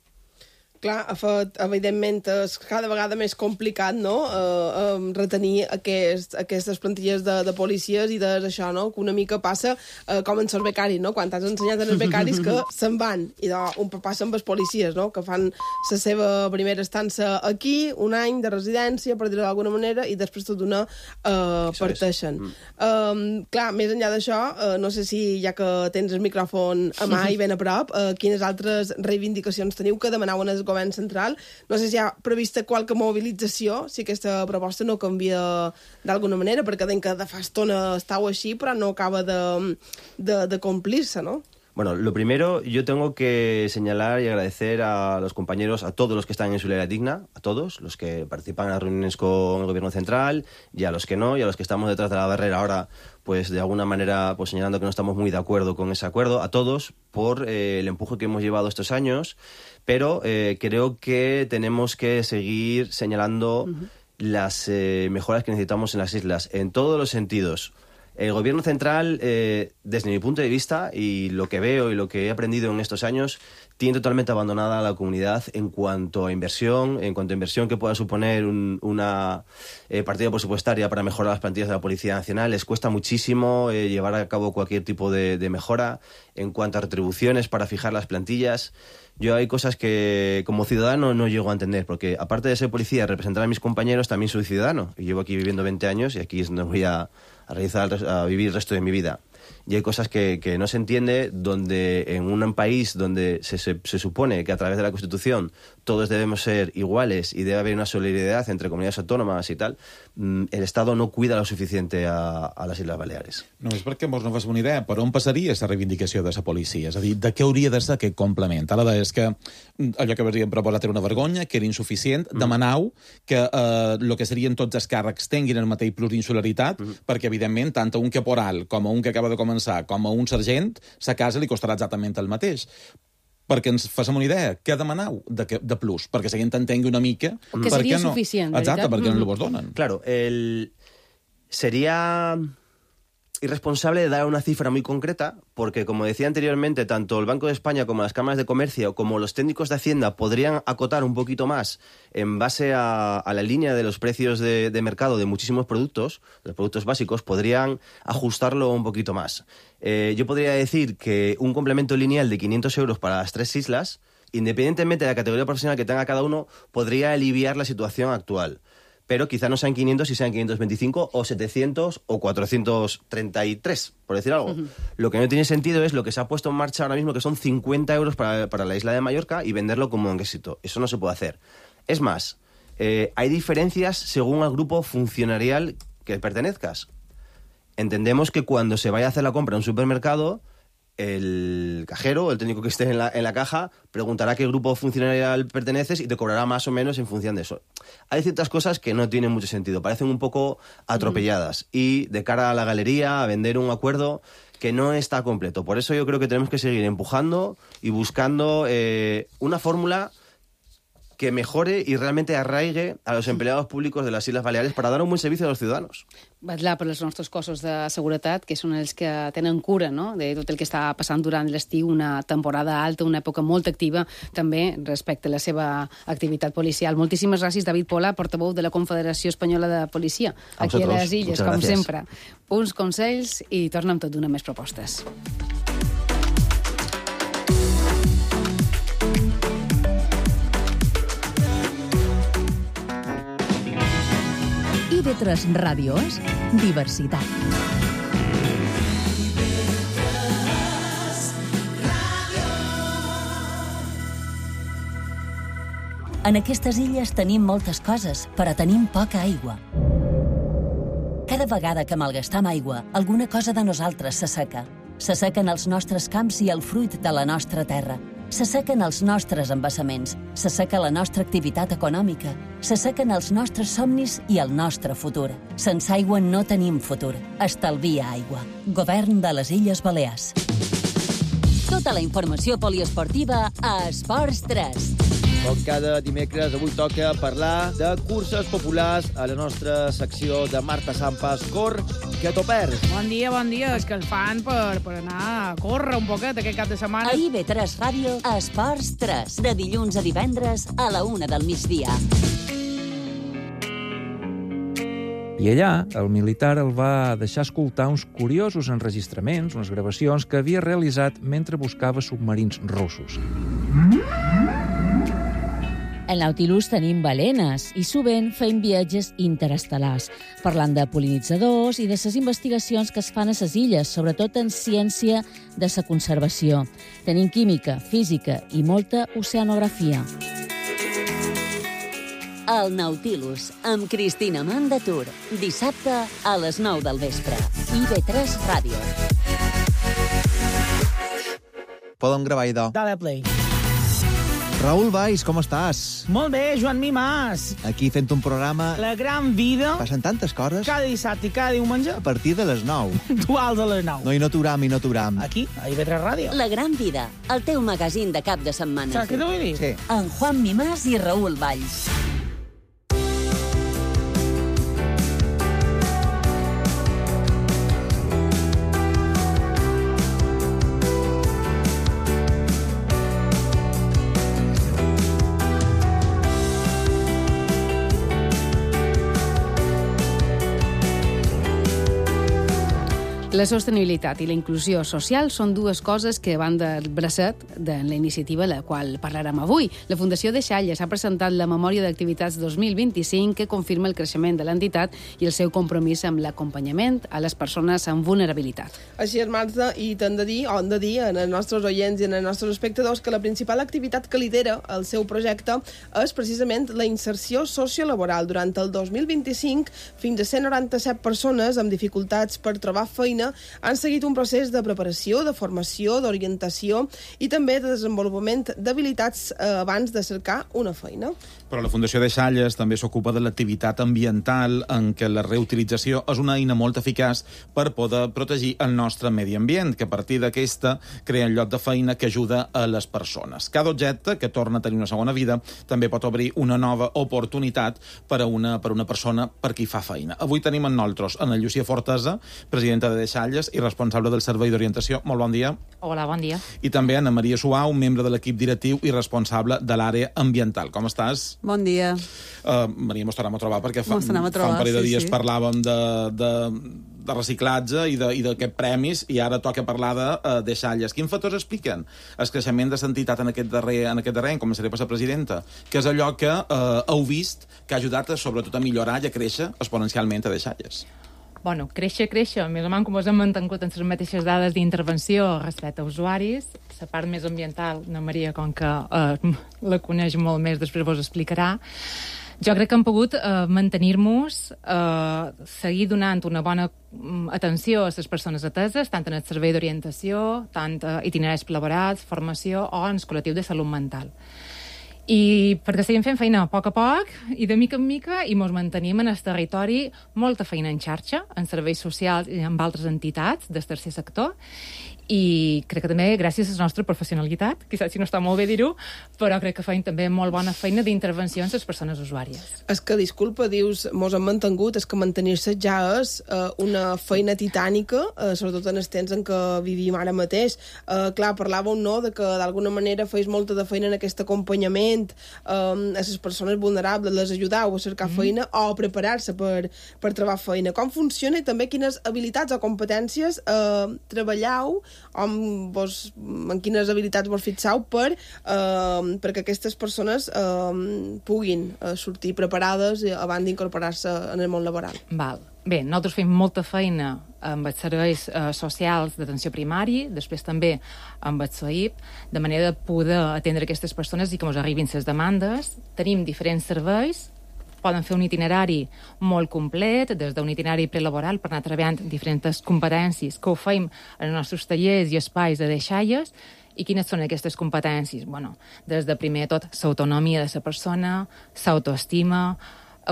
Speaker 3: Clar, ha fet, evidentment, és cada vegada més complicat, no?, eh, eh, retenir aquest, aquestes plantilles de, de policies i de això, no?, que una mica passa eh, com en els becaris, no?, quan t'has ensenyat als becaris que se'n van, i de, un passa amb els policies, no?, que fan la seva primera estança aquí, un any de residència, per dir-ho d'alguna manera, i després tot d'una eh, parteixen. Mm. Eh, clar, més enllà d'això, eh, no sé si, ja que tens el micròfon a mà i ben a prop, eh, quines altres reivindicacions teniu que demanaven el govern central? No sé si hi ha prevista qualque mobilització, si aquesta proposta no canvia d'alguna manera, perquè den que de fa estona estàu així, però no acaba de, de, de complir-se, no?
Speaker 6: Bueno, lo primero, yo tengo que señalar y agradecer a los compañeros, a todos los que están en Solidaridad Digna, a todos, los que participan en las reuniones con el Gobierno Central, y a los que no, y a los que estamos detrás de la barrera ahora, pues de alguna manera pues señalando que no estamos muy de acuerdo con ese acuerdo, a todos por eh, el empuje que hemos llevado estos años, pero eh, creo que tenemos que seguir señalando uh-huh. las eh, mejoras que necesitamos en las islas, en todos los sentidos. El Gobierno Central, eh, desde mi punto de vista, y lo que veo y lo que he aprendido en estos años, tiene totalmente abandonada a la comunidad en cuanto a inversión, en cuanto a inversión que pueda suponer un, una eh, partida presupuestaria para mejorar las plantillas de la Policía Nacional. Les cuesta muchísimo eh, llevar a cabo cualquier tipo de, de mejora. En cuanto a retribuciones para fijar las plantillas, yo hay cosas que como ciudadano no llego a entender, porque aparte de ser policía, representar a mis compañeros, también soy ciudadano. Y llevo aquí viviendo veinte años y aquí es donde voy a, a, realizar, a vivir el resto de mi vida. Y hay cosas que, que no se entiende, donde en un país donde se, se, se supone que a través de la Constitución todos debemos ser iguales y debe haber una solidaridad entre comunidades autónomas y tal, el Estado no cuida lo suficiente a, a les Isles Baleares.
Speaker 4: No, és perquè mos no fas una idea. Per on passaria aquesta reivindicació de la policia? És a dir, de què hauria de ser aquest complement? Ara és que allò que havíem proposat era una vergonya, que era insuficient. Mm. Demanau que eh, el que serien tots els càrrecs tinguin el mateix plurinsularitat, mm. perquè, evidentment, tant a un caporal com a un que acaba de començar, com a un sergent, sa casa li costarà exactament el mateix. Perquè ens facem una idea, què demanau de, de plus? Perquè la gent entengui una mica...
Speaker 2: Que seria
Speaker 4: no...
Speaker 2: suficient,
Speaker 4: Exacte,
Speaker 2: veritat?
Speaker 4: perquè mm. no vos donen.
Speaker 6: Claro, el... sería irresponsable de dar una cifra muy concreta, porque, como decía anteriormente, tanto el Banco de España como las cámaras de comercio, como los técnicos de Hacienda, podrían acotar un poquito más en base a, a la línea de los precios de, de mercado de muchísimos productos, los productos básicos, podrían ajustarlo un poquito más. Eh, yo podría decir que un complemento lineal de quinientos euros para las tres islas, independientemente de la categoría profesional que tenga cada uno, podría aliviar la situación actual. Pero quizá no sean quinientos y sean quinientos veinticinco o setecientos o cuatrocientos treinta y tres, por decir algo. Uh-huh. Lo que no tiene sentido es lo que se ha puesto en marcha ahora mismo, que son cincuenta euros para, para la isla de Mallorca, y venderlo como un éxito. Eso no se puede hacer. Es más, eh, hay diferencias según al grupo funcionarial que pertenezcas. Entendemos que cuando se vaya a hacer la compra en un supermercado, el cajero, el técnico que esté en la, en la caja, preguntará a qué grupo funcionarial perteneces y te cobrará más o menos en función de eso. Hay ciertas cosas que no tienen mucho sentido, parecen un poco atropelladas. Mm. Y de cara a la galería, a vender un acuerdo que no está completo. Por eso yo creo que tenemos que seguir empujando y buscando eh, una fórmula que mejore y realmente arraigue a los empleados públicos de las Islas Baleares para dar un buen servicio a los ciudadanos.
Speaker 2: Vetllar per els nostres cossos de seguretat, que són els que tenen cura, no?, de tot el que està passant durant l'estiu, una temporada alta, una època molt activa, també respecte a la seva activitat policial. Moltíssimes gràcies, David Pola, portaveu de la Confederació Espanyola de Policia,
Speaker 6: a
Speaker 2: aquí
Speaker 6: vosotros.
Speaker 2: a les Illes,
Speaker 6: Muchas
Speaker 2: com
Speaker 6: gracias.
Speaker 2: sempre. Uns consells i torna amb tot d'una més propostes.
Speaker 1: I V tres Ràdio és diversitat. En aquestes illes tenim moltes coses, però tenim poca aigua. Cada
Speaker 7: Cada vegada que malgastam aigua, alguna cosa de nosaltres s'asseca. S'assequen els nostres camps i el fruit de la nostra terra. S'assequen els nostres embassaments, s'asseca la nostra activitat econòmica, s'assequen els nostres somnis i el nostre futur. Sense aigua no tenim futur. Estalvia aigua. Govern de les Illes Balears.
Speaker 1: Tota la informació poliesportiva a Esports tres.
Speaker 8: Com cada dimecres, avui toca parlar de curses populars a la nostra secció de Marta Sampas. Cor, que t'ho perds.
Speaker 9: Bon dia, bon dia. És que el fan per, per anar a córrer un poquet aquest cap de setmana.
Speaker 1: A I B tres Ràdio, a Esports tres, de dilluns a divendres a la una del migdia.
Speaker 10: I allà, el militar el va deixar escoltar uns curiosos enregistraments, unes gravacions que havia realitzat mentre buscava submarins russos.
Speaker 11: Al Nautilus tenim balenes i sovint fem viatges interestel·lars, parlant de pol·linitzadors i de les investigacions que es fan a les illes, sobretot en ciència de la conservació. Tenim química, física i molta oceanografia.
Speaker 1: El Nautilus, amb Cristina Mandatur, dissabte a les nou del vespre. I B tres Ràdio.
Speaker 12: Podem gravar, idò.
Speaker 9: Dale play.
Speaker 12: Raül Valls, com estàs?
Speaker 9: Molt bé, Joan Mimàs.
Speaker 12: Aquí fent un programa...
Speaker 9: La gran vida.
Speaker 12: Passen tantes coses.
Speaker 9: Cada dissabte i cada diumenge.
Speaker 12: A partir de les nou.
Speaker 9: Duals a les nou.
Speaker 12: No, i no t'uram, i no t'uram.
Speaker 9: Aquí, a I B tres Ràdio.
Speaker 1: La gran vida, el teu magazín de cap de setmana.
Speaker 9: Saps què t'ho vull dir?
Speaker 12: Sí.
Speaker 1: Amb Juan Mimàs i Raül Valls.
Speaker 2: La sostenibilitat i la inclusió social són dues coses que van del bracet de la iniciativa a la qual parlarem avui. La Fundació Deixalles ha presentat la Memòria d'Activitats dos mil vint-i-cinc que confirma el creixement de l'entitat i el seu compromís amb l'acompanyament a les persones amb vulnerabilitat.
Speaker 3: Així és, Marta, i t'hem de dir, o hem de dir en els nostres oients i en els nostres espectadors que la principal activitat que lidera el seu projecte és precisament la inserció sociolaboral. Durant el dos mil vint-i-cinc, fins a cent noranta-set persones amb dificultats per trobar feina han seguit un procés de preparació, de formació, d'orientació i també de desenvolupament d'habilitats eh, abans de cercar una feina.
Speaker 4: Però la Fundació Deixalles també s'ocupa de l'activitat ambiental en què la reutilització és una eina molt eficaç per poder protegir el nostre medi ambient, que a partir d'aquesta crea un lloc de feina que ajuda a les persones. Cada objecte que torna a tenir una segona vida també pot obrir una nova oportunitat per a una, per a una persona per qui fa feina. Avui tenim en nosaltres Ana Llucia Fortesa, presidenta de Deixalles i responsable del Servei d'Orientació. Molt bon dia.
Speaker 13: Hola, bon dia.
Speaker 4: I també Ana Maria Suau, membre de l'equip directiu i responsable de l'àrea ambiental. Com estàs?
Speaker 14: Bon dia.
Speaker 4: Uh, Maria, mos tornem a trobar perquè fa,
Speaker 14: a trobar,
Speaker 4: fa un parell de
Speaker 14: sí,
Speaker 4: dies
Speaker 14: sí.
Speaker 4: parlàvem de, de, de reciclatge i d'aquests premis i ara toca parlar de uh, Deixalles. Quins factors expliquen el creixement de l'entitat en aquest darrer, en aquest darrer any? Començaré per la presidenta, que és allò que uh, heu vist que ha ajudat a, sobretot a millorar i a créixer exponencialment a Deixalles.
Speaker 13: Bueno, créixer, créixer. Més o menys com us hem mantingut en les mateixes dades d'intervenció respecte a usuaris. La part més ambiental, na Maria, com que eh, la coneix molt més, després vos explicarà. Jo crec que hem pogut eh, mantenir-nos, eh, seguir donant una bona atenció a les persones ateses, tant en el servei d'orientació, tant a itineraris laborals, formació o en el col·lectiu de salut mental. I perquè seguim fent feina a poc a poc i de mica en mica i ens mantenim en el territori molta feina en xarxa, en serveis socials i amb altres entitats del tercer sector i crec que també gràcies a la nostra professionalitat, quizás si no està molt bé dir-ho, però crec que feim també molt bona feina d'intervenció en les persones usuàries.
Speaker 3: És que, disculpa, dius, mos hem mantingut, és que mantenir-se ja és eh, una feina titànica, eh, sobretot en els temps en què vivim ara mateix. Eh, clar, parlàveu, no?, de que d'alguna manera feis molta de feina en aquest acompanyament eh, a les persones vulnerables, les ajudau a cercar mm. feina o a preparar-se per, per trobar feina. Com funciona i també quines habilitats o competències eh, treballeu amb vos, en quines habilitats vos fixeu per, eh, perquè aquestes persones eh, puguin eh, sortir preparades abans d'incorporar-se en el món laboral.
Speaker 13: Val. Bé, nosaltres fem molta feina amb els serveis eh, socials d'atenció primari, després també amb el S O I P, de manera de poder atendre aquestes persones i que ens arribin les demandes. Tenim diferents serveis, poden fer un itinerari molt complet, des d'un itinerari prelaboral per anar treballant diferents competències que ho feim en els nostres tallers i espais de deixalles. I quines són aquestes competències? Bueno, des de primer de tot, l'autonomia de la persona, l'autoestima,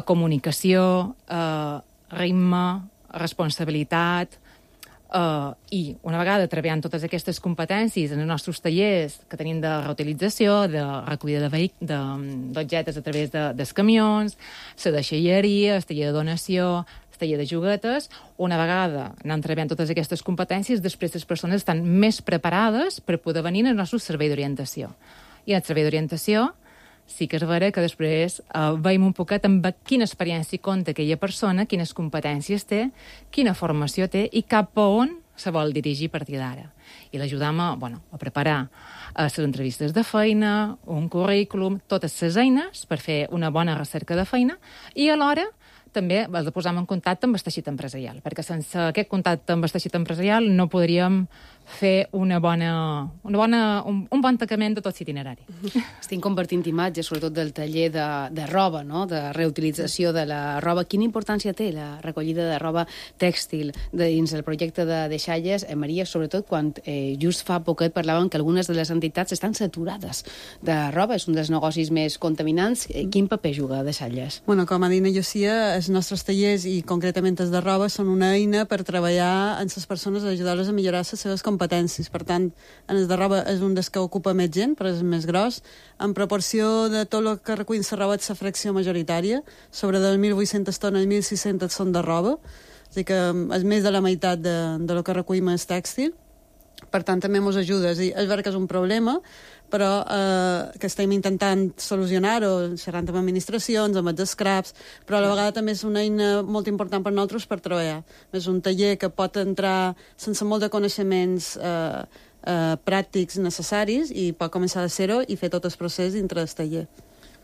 Speaker 13: comunicació, eh, ritme, responsabilitat, Uh, i una vegada treballant totes aquestes competències en els nostres tallers que tenim de reutilització, de recollida de vehic- de, d'objectes a través de, dels camions, la deixalleria, el taller de donació, el taller de juguetes, una vegada anant treballant totes aquestes competències, després les persones estan més preparades per poder venir al nostre servei d'orientació. I en el servei d'orientació sí que és vera que després eh, veiem un poquet amb quina experiència compta aquella persona, quines competències té, quina formació té i cap a on se vol dirigir a partir d'ara. I l'ajudam a, bueno, a preparar eh, les entrevistes de feina, un currículum, totes les eines per fer una bona recerca de feina i alhora també el de posar en contacte amb el teixit empresarial, perquè sense aquest contacte amb el teixit empresarial no podríem fer una bona, una bona, un, un bon tancament de tot l'itinerari.
Speaker 2: Estic compartint imatges, sobretot del taller de, de roba, no? De reutilització de la roba. Quina importància té la recollida de roba tèxtil dins el projecte de deixalles? Eh, Maria, sobretot quan eh, just fa poquet parlàvem que algunes de les entitats estan saturades de roba, és un dels negocis més contaminants. Eh, quin paper juga deixalles?
Speaker 14: Bueno, com ha dit Llucia, els nostres tallers i concretament els de roba són una eina per treballar amb les persones, ajudar-les a millorar les seves competències. Per tant, en els de roba és un dels que ocupa més gent, però és més gros. En proporció de tot el que recull la roba és la fracció majoritària. Sobre de mil vuit-centes tones, mil sis-centes són de roba. És a dir, que és més de la meitat de, de lo que recollim és tèxtil. Per tant, també ens ajuda. És, dir, és veritat que és un problema, però eh, que estem intentant solucionar-ho, xerrant amb administracions, amb els scraps, però a la vegada també és una eina molt important per nosaltres per treballar. És un taller que pot entrar sense molt de coneixements eh, eh, pràctics necessaris i pot començar de zero i fer tot el procés dintre del taller.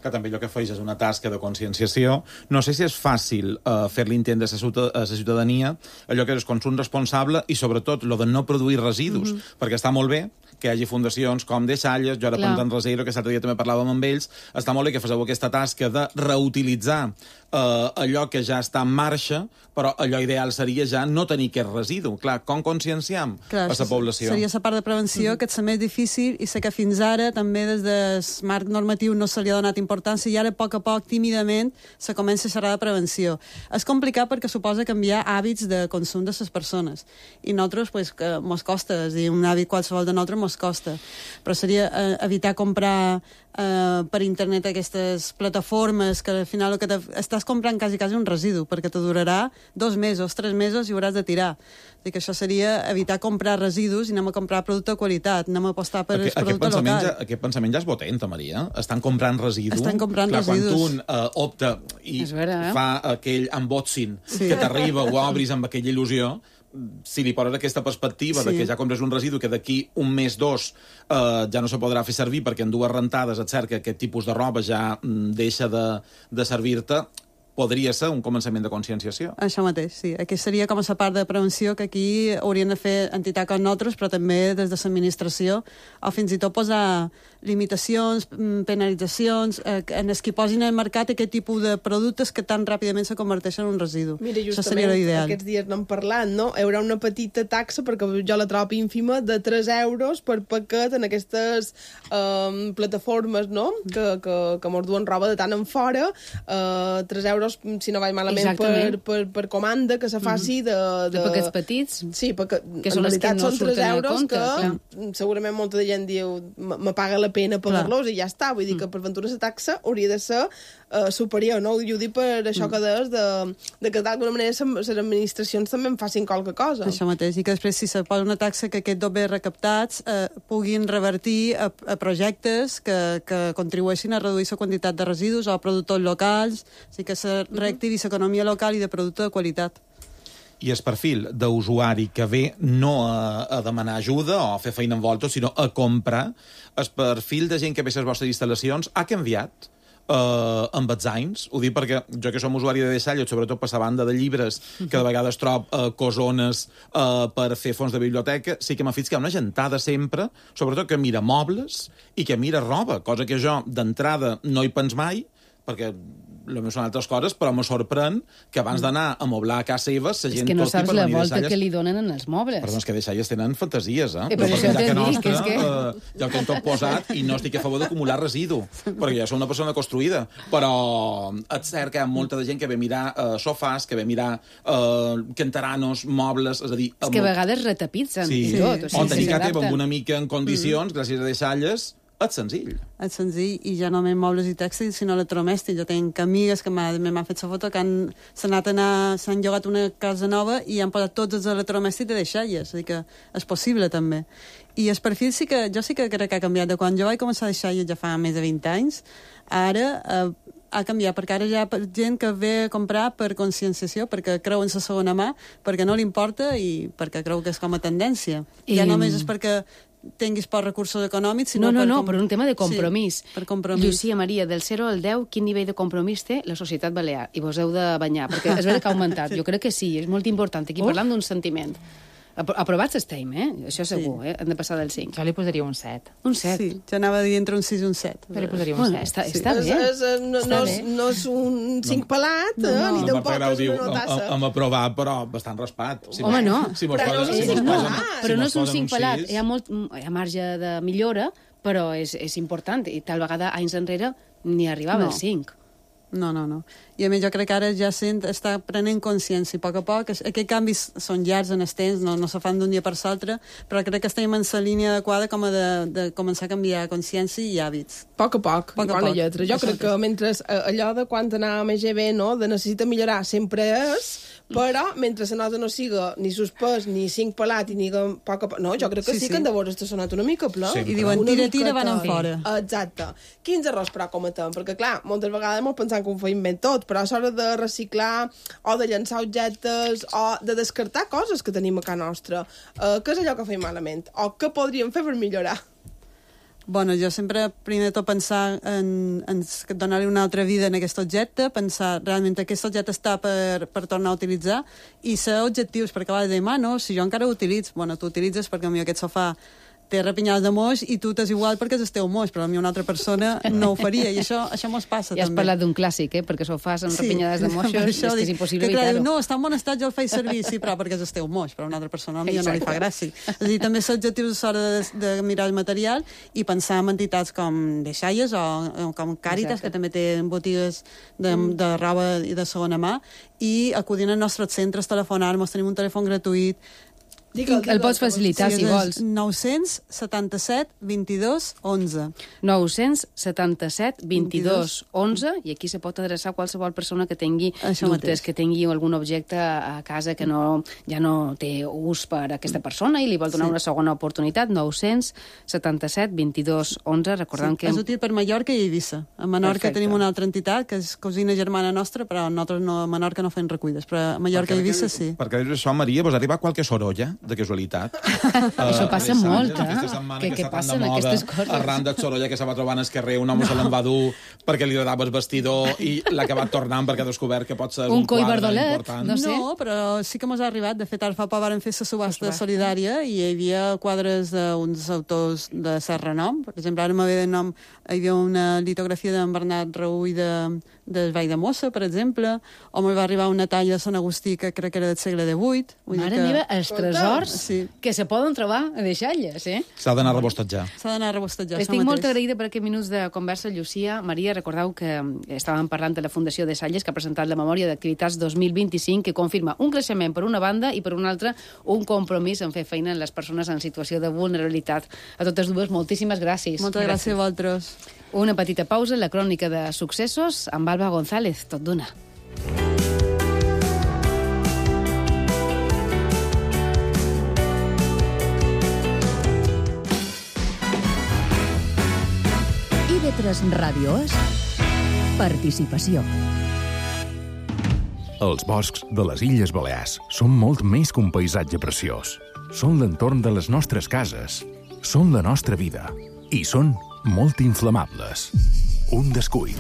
Speaker 4: Que també allò que feix és una tasca de conscienciació. No sé si és fàcil uh, fer-li entendre a la ciutadania allò que és consum responsable i, sobretot, lo de no produir residus, mm-hmm. perquè està molt bé que hi hagi fundacions com Deixalles, jo ara Pentant Reseiro, que l'altre dia també parlàvem amb ells, està molt bé que feu aquesta tasca de reutilitzar uh, allò que ja està en marxa, però allò ideal seria ja no tenir aquest residu. Clar, com conscienciam Clar, a la població?
Speaker 14: Seria la part de prevenció, mm-hmm. que és la més difícil, i sé que fins ara també des del marc normatiu no se li ha donat importància i ara a poc a poc, tímidament, se comença a xerrar de prevenció. És complicat perquè suposa canviar hàbits de consum de les persones. I nosaltres, pues, que mos costa, és dir, un hàbit qualsevol de nosaltres mos costa. Però seria eh, evitar comprar eh, per internet aquestes plataformes que al final el que estàs comprant quasi quasi un residu, perquè te durarà dos mesos, tres mesos i hauràs de tirar. És dir, que això seria evitar comprar residus i anem a comprar producte de qualitat, anem a apostar per aquest, el producte local.
Speaker 4: Ja, aquest pensament ja és potent, Maria. Estan comprant residus.
Speaker 14: Estan comprant
Speaker 4: Clar,
Speaker 14: residus.
Speaker 4: Quan tu un uh, opta i vera, eh? fa aquell unboxing sí. que t'arriba o obris amb aquella il·lusió, si li poses aquesta perspectiva sí. de que ja compres un residu que d'aquí un mes, dos, eh, ja no se podrà fer servir perquè en dues rentades et cert que aquest tipus de roba ja mm, deixa de, de servir-te, podria ser un començament de conscienciació.
Speaker 14: Això mateix, sí. Aquí seria com a la part de prevenció que aquí haurien de fer entitats com nosaltres, però també des de l'administració, o fins i tot posar limitacions, penalitzacions, eh, en els que posin al mercat aquest tipus de productes que tan ràpidament se converteixen en un residu.
Speaker 3: Mira, justament, aquests dies n'hem parlat, no? Hi haurà una petita taxa, perquè jo la trobo ínfima, de tres euros per paquet en aquestes eh, plataformes, no?, que, que, que mos duen roba de tant en fora, eh, tres euros si no vaig malament per, per, per comanda que se faci de...
Speaker 2: De, de paquets petits.
Speaker 3: Sí, perquè
Speaker 2: que són
Speaker 3: en realitat
Speaker 2: no
Speaker 3: són tres euros
Speaker 2: compte,
Speaker 3: que
Speaker 2: clar.
Speaker 3: Segurament molta de gent diu me paga la pena pagar-los i ja està. Vull dir que per ventura la taxa hauria de ser uh, superior, no? Jo dic per això que deies de, de que d'alguna manera les administracions també en facin qualque cosa.
Speaker 14: Això mateix, i que després si se posa una taxa que aquests dobbers recaptats eh, puguin revertir a, a projectes que, que contribueixin a reduir la quantitat de residus o a productors locals, o sigui que se reactivi l'economia local i de producte de qualitat.
Speaker 4: I el perfil d'usuari que ve no a, a demanar ajuda o a fer feina en volta, sinó a comprar, el perfil de gent que ve a les vostres instal·lacions ha canviat uh, amb els anys? Ho dic perquè jo que som usuari de Deixalles, sobretot per la banda de llibres, que de vegades trob uh, cosones uh, per fer fons de biblioteca, sí que m'ha fet que hi ha una gentada sempre, sobretot que mira mobles i que mira roba, cosa que jo d'entrada no hi pens mai, perquè potser són altres coses, però me sorprèn que abans d'anar a moblar a casa seva, la gent
Speaker 2: és que no saps la volta
Speaker 4: deixalles...
Speaker 2: que li donen en els mobles.
Speaker 4: Perdó, és que deixalles tenen fantasies, eh?
Speaker 2: Eh, però això t'he dit, que és que...
Speaker 4: Uh, ja ho tinc tot posat i no estic a favor d'acumular residu, perquè ja sóc una persona construïda. Però és cert que hi ha molta de gent que ve mirar uh, sofàs, que ve mirar uh, canteranos, mobles, és a dir...
Speaker 2: És que a vegades retapitzen
Speaker 4: sí.
Speaker 2: i tot. O sigui,
Speaker 4: o tenir que amb una mica en condicions, mm. gràcies a deixalles, és senzill.
Speaker 14: És senzill, i ja no només mobles i tèxtils, sinó electrodomèstics. Jo tinc amigues que m'han fet la foto que han, s'han anat a anar, s'han llogat una casa nova i han posat tots els electrodomèstics de deixalles. És a dir, que és possible, també. I el perfil sí que, jo sí que crec que ha canviat. De quan jo vaig començar a deixalles ja fa més de vint anys, ara eh, ha canviat, perquè ara hi ha gent que ve a comprar per conscienciació, perquè creu en la segona mà, perquè no li importa i perquè creu que és com a tendència. I ja només és perquè tinguis pocs recursos econòmics, sinó
Speaker 2: no, no,
Speaker 14: per...
Speaker 2: No,
Speaker 14: com...
Speaker 2: per un tema de compromís.
Speaker 14: Sí, per compromís.
Speaker 2: Llucia Maria, del zero al deu, quin nivell de compromís té la societat balear? I vos heu de banyar, perquè és veritat que ha augmentat. Jo crec que sí, és molt important. Aquí parlam d'un sentiment. Aprovats estem, eh? Això segur, sí. eh? Hem de passar del cinc.
Speaker 13: Jo li posaria un set.
Speaker 2: Un set?
Speaker 14: Sí, jo anava a dir entre un sis i un set.
Speaker 13: Jo li posaria un
Speaker 2: bueno,
Speaker 13: set.
Speaker 2: Està,
Speaker 14: sí.
Speaker 2: està bé.
Speaker 3: És, és, no,
Speaker 2: està
Speaker 3: no,
Speaker 2: bé.
Speaker 3: és, no és un cinc pelat, no, no, ni
Speaker 4: no,
Speaker 3: tampoc és una notassa.
Speaker 4: Hem aprovat, però bastant raspat. Si
Speaker 2: Home, no.
Speaker 4: Si mos
Speaker 3: però
Speaker 4: posen,
Speaker 3: no,
Speaker 4: si mos
Speaker 2: no,
Speaker 4: posen,
Speaker 2: però
Speaker 4: si
Speaker 2: no és un cinc pelat.
Speaker 4: sis...
Speaker 2: Hi ha, molt, hi ha marge de millora, però és, és important. I tal vegada, anys enrere, ni arribava
Speaker 14: no.
Speaker 2: al cinc.
Speaker 14: No, no, no. I a més jo crec que ara ja sent, està prenent consciència, i a poc a poc, aquests canvis són llargs en el temps, no, no se fan d'un dia per l'altre, però crec que estem en la línia adequada com a de, de començar a canviar consciència i hàbits.
Speaker 3: A poc a poc,
Speaker 14: poc, a
Speaker 3: bona
Speaker 14: poc.
Speaker 3: lletra. Jo crec que mentre allò de quan anàvem a G B, no, de necessita millorar sempre és, però mentre la nota no siga ni suspès, ni cinc pelat, i ni a poc a poc... No, jo crec que sí, sí, sí. que en de veure està sonat una mica ple.
Speaker 14: Sí, I diuen, tira, tira, van en fora.
Speaker 3: Exacte. Quins errors, però, cometem? Perquè, clar, moltes vegades molt pensant que ho feim ben tot, però a l'hora de reciclar o de llançar objectes o de descartar coses que tenim a casa nostra, eh, què és allò que fem malament? O què podríem fer per millorar?
Speaker 14: Bueno, jo sempre, primer de tot, pensar en, en donar-li una altra vida en aquest objecte, pensar realment que aquest objecte està per, per tornar a utilitzar i ser objectius, perquè a vegades dèiem, ah, no, si jo encara ho utilitzo, bueno, tu utilitzes perquè potser aquest sofà té repinyades de moix i tu t'és igual perquè és el teu moix, però a mi una altra persona no ho faria, i això, això mos passa,
Speaker 2: ja també. Ja has parlat d'un clàssic, eh? Perquè sofàs amb sí, repinyades de moixos, és que és impossible evitar-ho.
Speaker 14: No, està en bon estat, jo el faig servir, sí, però perquè és el teu moix, però a una altra persona a mi no li fa gràcia. És a dir, també ser objectius a l'hora de, de mirar el material i pensar en entitats com Deixalles o, o com Càritas, que també té botigues de, de roba i de segona mà, i acudint als nostres centres, telefonar-nos, tenim un telèfon gratuït.
Speaker 2: Digue'l, el pots facilitar, sí, si vols.
Speaker 14: nou setanta-set vint-i-dos onze.
Speaker 2: nou setanta-set vint-i-dos onze, i aquí se pot adreçar a qualsevol persona que tingui
Speaker 14: Això
Speaker 2: dubtes,
Speaker 14: mateix.
Speaker 2: que tingui algun objecte a casa que no, ja no té ús per a aquesta persona i li vol donar sí. una segona oportunitat. Nou setanta-set vint-i-dos onze, recordant
Speaker 14: sí,
Speaker 2: que...
Speaker 14: És útil per Mallorca i Eivissa. A Menorca
Speaker 2: Perfecte.
Speaker 14: tenim una altra entitat, que és cosina germana nostra, però nosaltres no, a Menorca no fem reculles, però a Mallorca i Eivissa sí.
Speaker 4: Perquè això, Maria, vos arriba qualque sorolla de casualitat?
Speaker 2: Això passa
Speaker 4: uh,
Speaker 2: molt, eh?
Speaker 4: Que,
Speaker 2: que, que
Speaker 4: passen
Speaker 2: aquestes coses.
Speaker 4: Arran de sorolla que se va trobant al carrer, un home no. se l'en va dur perquè li agradava el vestidor i l'ha acabat tornant perquè ha descobert que pot ser un,
Speaker 2: un coi
Speaker 4: quadre
Speaker 2: bardolet,
Speaker 4: important.
Speaker 2: no sé.
Speaker 14: No, però sí que mos ha arribat. De fet, ara fa poc varen fer la subhasta
Speaker 2: subhasta.
Speaker 14: solidària i hi havia quadres d'uns autors de cert renom. Per exemple, ara me ve de nom, hi havia una litografia d'en Bernat Raúl de, de Vall de Mossa, per exemple, o me va arribar una talla de Sant Agustí que crec que era del segle divuit.
Speaker 2: Mare que... meva, els tresors sí. que se poden trobar a Deixalles, eh?
Speaker 4: S'ha d'anar a rebostatjar.
Speaker 14: S'ha d'anar a rebostatjar.
Speaker 2: Estic molt agraïda per aquests minuts de conversa, Llucia. Maria, recordeu que estàvem parlant de la Fundació Deixalles, que ha presentat la memòria d'activitats dos mil vint-i-cinc, que confirma un creixement per una banda i per una altra un compromís en fer feina en les persones en situació de vulnerabilitat. A totes dues, moltíssimes gràcies.
Speaker 14: Moltes gràcies, gràcies a vosaltres.
Speaker 2: Una petita pausa, la crònica de successos amb Alba González, tot d'una.
Speaker 1: I V tres Ràdio és participació.
Speaker 15: Els boscs de les Illes Balears són molt més que un paisatge preciós. Són l'entorn de les nostres cases, són la nostra vida i són molt inflamables. Un descuit,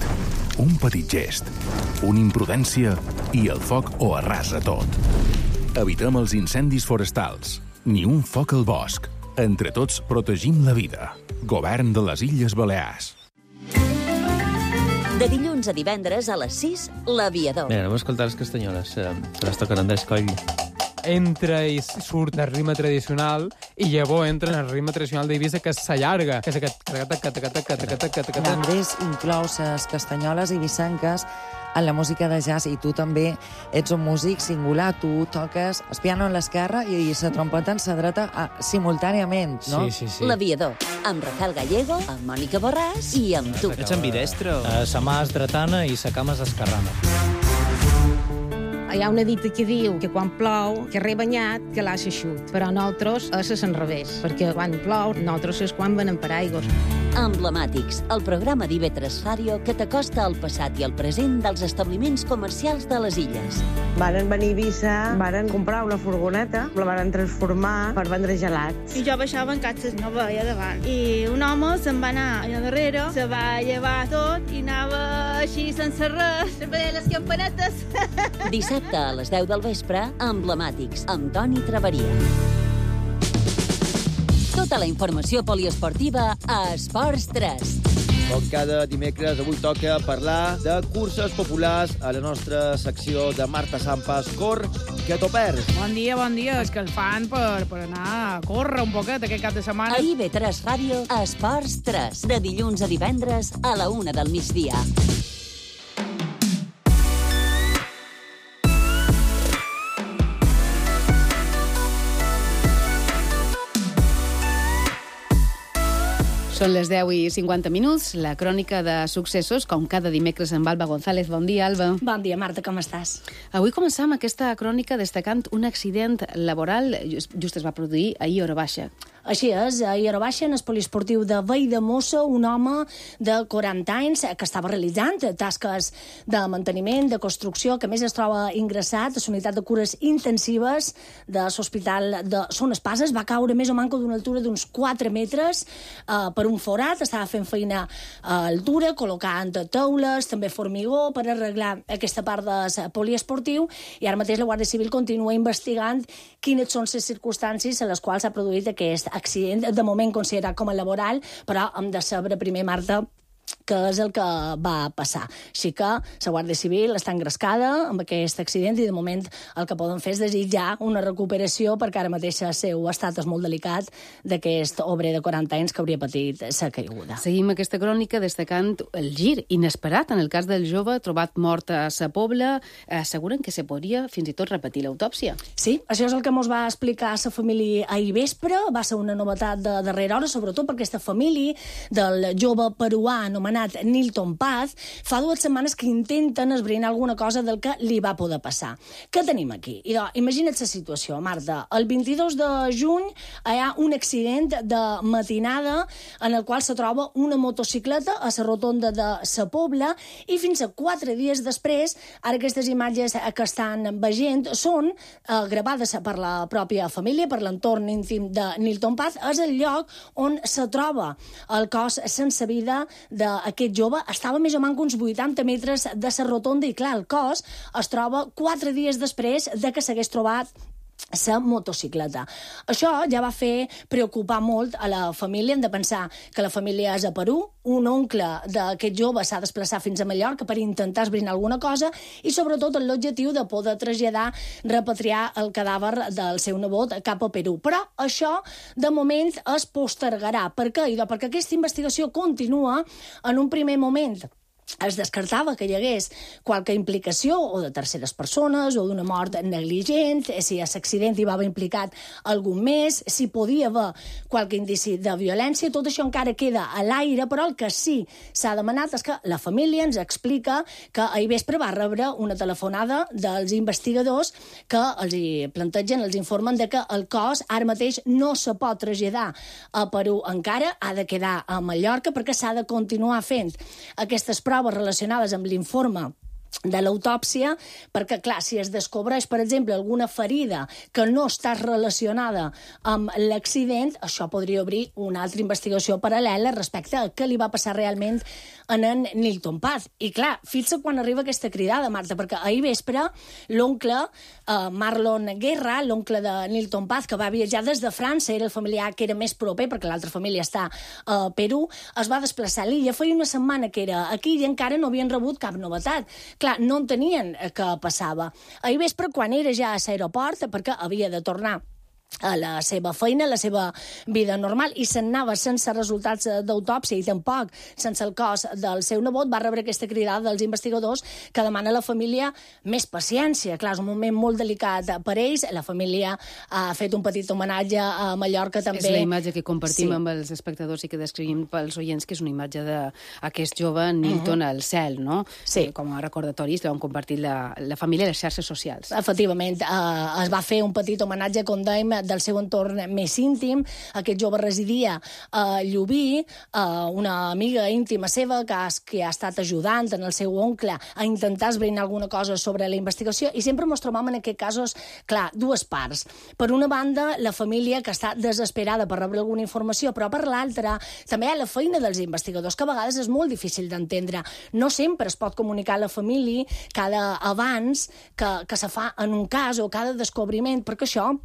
Speaker 15: un petit gest, una imprudència i el foc ho arrasa tot. Evitem els incendis forestals, ni un foc al bosc. Entre tots protegim la vida. Govern de les Illes Balears.
Speaker 7: De dilluns a divendres a les sis, L'Aviador.
Speaker 16: Bé, anem a escoltar les castanyoles, eh, que les toquen Andrés Coll.
Speaker 17: Entra i surt del ritme tradicional i llavors entra en el ritme tradicional d'Eivissa, que s'allarga, que és aquest...
Speaker 18: L'Andrés inclou les castanyoles eivissenques en la música de jazz, i tu també ets un músic singular. Tu toques el piano en l'esquerra i la trompeta en la dreta simultàniament, no?
Speaker 16: Sí, sí, sí.
Speaker 7: L'Aviador, amb Rafael Gallego, amb Mònica Borràs i amb tu.
Speaker 16: Ets ambidestre? Uh, sa mà és dretana i sa cama és esquerrana.
Speaker 19: Hi ha una dita que diu que quan plou, que re banyat, que l'ha eixut. Però nosaltres és al revés, perquè quan plou, nosaltres és quan venen per aigües.
Speaker 7: Emblemàtics, el programa d'I V tres Ràdio que t'acosta al passat i al present dels establiments comercials de les illes.
Speaker 20: Varen venir a Eivissa, varen comprar una furgoneta, la varen transformar per vendre gelats.
Speaker 21: I jo baixava en catxes, no veia davant. I un home se'n va anar allà darrere, se va llevar tot i anava així sense res, veia les campanetes.
Speaker 7: Dissabte a les deu del vespre, Emblemàtics, amb Toni Traveria. Tota la informació poliesportiva a Esports tres.
Speaker 8: Com cada dimecres, avui toca parlar de curses populars a la nostra secció de Marta Sampas. Cor, que t'ho perds.
Speaker 9: Bon dia, bon dia. Escalfant per, per anar a córrer un poquet aquest cap de setmana.
Speaker 7: A I V tres Ràdio, a Esports tres, de dilluns a divendres a la una del migdia.
Speaker 2: Són les deu i cinquanta minuts, la crònica de successos, com cada dimecres amb Alba González. Bon dia, Alba.
Speaker 22: Bon dia, Marta, com estàs?
Speaker 2: Avui començam aquesta crònica destacant un accident laboral just, just es va produir ahir a Hora Baixa.
Speaker 22: Així és, ahir a Hora Baixa, en el poliesportiu de Valldemossa, un home de quaranta anys que estava realitzant tasques de manteniment, de construcció, que a més es troba ingressat a la unitat de cures intensives de l'Hospital de Son Espases, va caure més o manco d'una altura d'uns quatre metres eh, per un forat, estava fent feina a altura, col·locant teules, també formigó, per arreglar aquesta part del poliesportiu, i ara mateix la Guàrdia Civil continua investigant quines són les circumstàncies a les quals s'ha produït aquest accident, de moment considerat com a laboral, però hem de saber primer, Marta, que és el que va passar. Així que la Guàrdia Civil està engrescada amb aquest accident i de moment el que poden fer és desitjar una recuperació, perquè ara mateix el seu estat és molt delicat d'aquest obrer de quaranta anys que hauria patit la caiguda.
Speaker 2: Seguim aquesta crònica destacant el gir inesperat en el cas del jove trobat mort a Sa Pobla. Asseguren que se podria fins i tot repetir l'autòpsia.
Speaker 22: Sí, això és el que ens va explicar la família ahir vespre. Va ser una novetat de darrera hora, sobretot perquè aquesta família del jove peruà anomenat Nilton Paz, fa dues setmanes que intenten esbrinar alguna cosa del que li va poder passar. Què tenim aquí? I doncs, imagina't la situació, Marta. El vint-i-dos de juny hi ha un accident de matinada en el qual se troba una motocicleta a la rotonda de Sa Pobla i fins a quatre dies després, ara aquestes imatges que estan veient són eh, gravades per la pròpia família, per l'entorn íntim de Nilton Paz, és el lloc on se troba el cos sense vida d'aquest jove. Estava més o menys uns vuitanta metres de la rotonda i, clar, el cos es troba quatre dies després de que s'hagués trobat la motocicleta. Això ja va fer preocupar molt a la família. Hem de pensar que la família és a Perú, un oncle d'aquest jove s'ha desplaçat fins a Mallorca per intentar esbrinar alguna cosa i sobretot amb l'objectiu de poder traslladar, repatriar el cadàver del seu nebot cap a Perú. Però això, de moment, es postergarà. Per què? Perquè aquesta investigació continua. En un primer moment es descartava que hi hagués qualque implicació o de terceres persones o d'una mort negligent, si a l'accident hi va haver implicat algun més, si podia haver qualque indici de violència. Tot això encara queda a l'aire, però el que sí s'ha demanat és que la família ens explica que ahir vespre va rebre una telefonada dels investigadors que els hi plantegen, els informen de que el cos ara mateix no se pot traslladar a Perú encara, ha de quedar a Mallorca perquè s'ha de continuar fent aquestes proves relacionades amb l'informe de l'autòpsia, perquè, clar, si es descobreix, per exemple, alguna ferida que no està relacionada amb l'accident, això podria obrir una altra investigació paral·lela respecte a què li va passar realment en en Nilton Paz. I, clar, fixa quan arriba aquesta cridada, Marta, perquè ahir vespre l'oncle eh, Marlon Guerra, l'oncle de Nilton Paz, que va viatjar des de França, era el familiar que era més proper, perquè l'altra família està a Perú, es va desplaçar a l'illa. Feia una setmana que era aquí i encara no havien rebut cap novetat. Clar, no entenien què passava. Ahir vespre, quan era ja a l'aeroport, perquè havia de tornar a la seva feina, a la seva vida normal, i se'n anava sense resultats d'autòpsia i tampoc sense el cos del seu nebot, va rebre aquesta cridada dels investigadors que demana a la família més paciència. Clar, és un moment molt delicat per ells. La família ha fet un petit homenatge a Mallorca també.
Speaker 2: És la imatge que compartim
Speaker 22: Sí.
Speaker 2: amb els espectadors i que descrivim pels oients, que és una imatge d'aquest jove Nilton
Speaker 22: Mhm.
Speaker 2: al cel, no?
Speaker 22: Sí.
Speaker 2: Com a recordatoris l'han compartit la, la família i les xarxes socials.
Speaker 22: Efectivament, eh, es va fer un petit homenatge, com dèiem, del seu entorn més íntim. Aquest jove residia a Llubí, eh, una amiga íntima seva que ha, que ha estat ajudant en el seu oncle a intentar esbrinar alguna cosa sobre la investigació, i sempre ens trobam en aquests casos, clar, dues parts. Per una banda, la família que està desesperada per rebre alguna informació, però per l'altra també hi ha la feina dels investigadors, que a vegades és molt difícil d'entendre. No sempre es pot comunicar a la família cada avanç que, que se fa en un cas o cada descobriment, perquè això,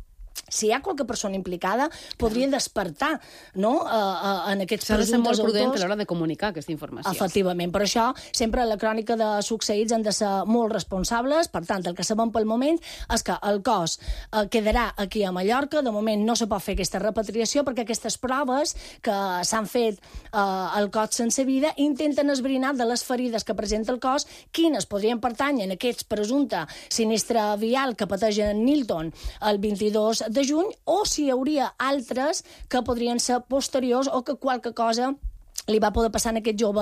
Speaker 22: si hi ha qualque persona implicada, podria despertar, no?, uh, uh, en aquests
Speaker 2: S'ha de ser molt
Speaker 22: presumptes
Speaker 2: prudent a
Speaker 22: autors.
Speaker 2: l'hora de comunicar aquesta informació.
Speaker 22: Efectivament, per això sempre la crònica de succeïts han de ser molt responsables. Per tant, el que sabem pel moment és que el cos eh, quedarà aquí a Mallorca. De moment no se pot fer aquesta repatriació perquè aquestes proves que s'han fet eh, al cos sense vida intenten esbrinar de les ferides que presenta el cos quines podrien pertànyer en aquest presumpte sinistre vial que pateix en Nilton el vint-i-dos de juny, o si hi hauria altres que podrien ser posteriors o que qualque cosa li va poder passar a aquest jove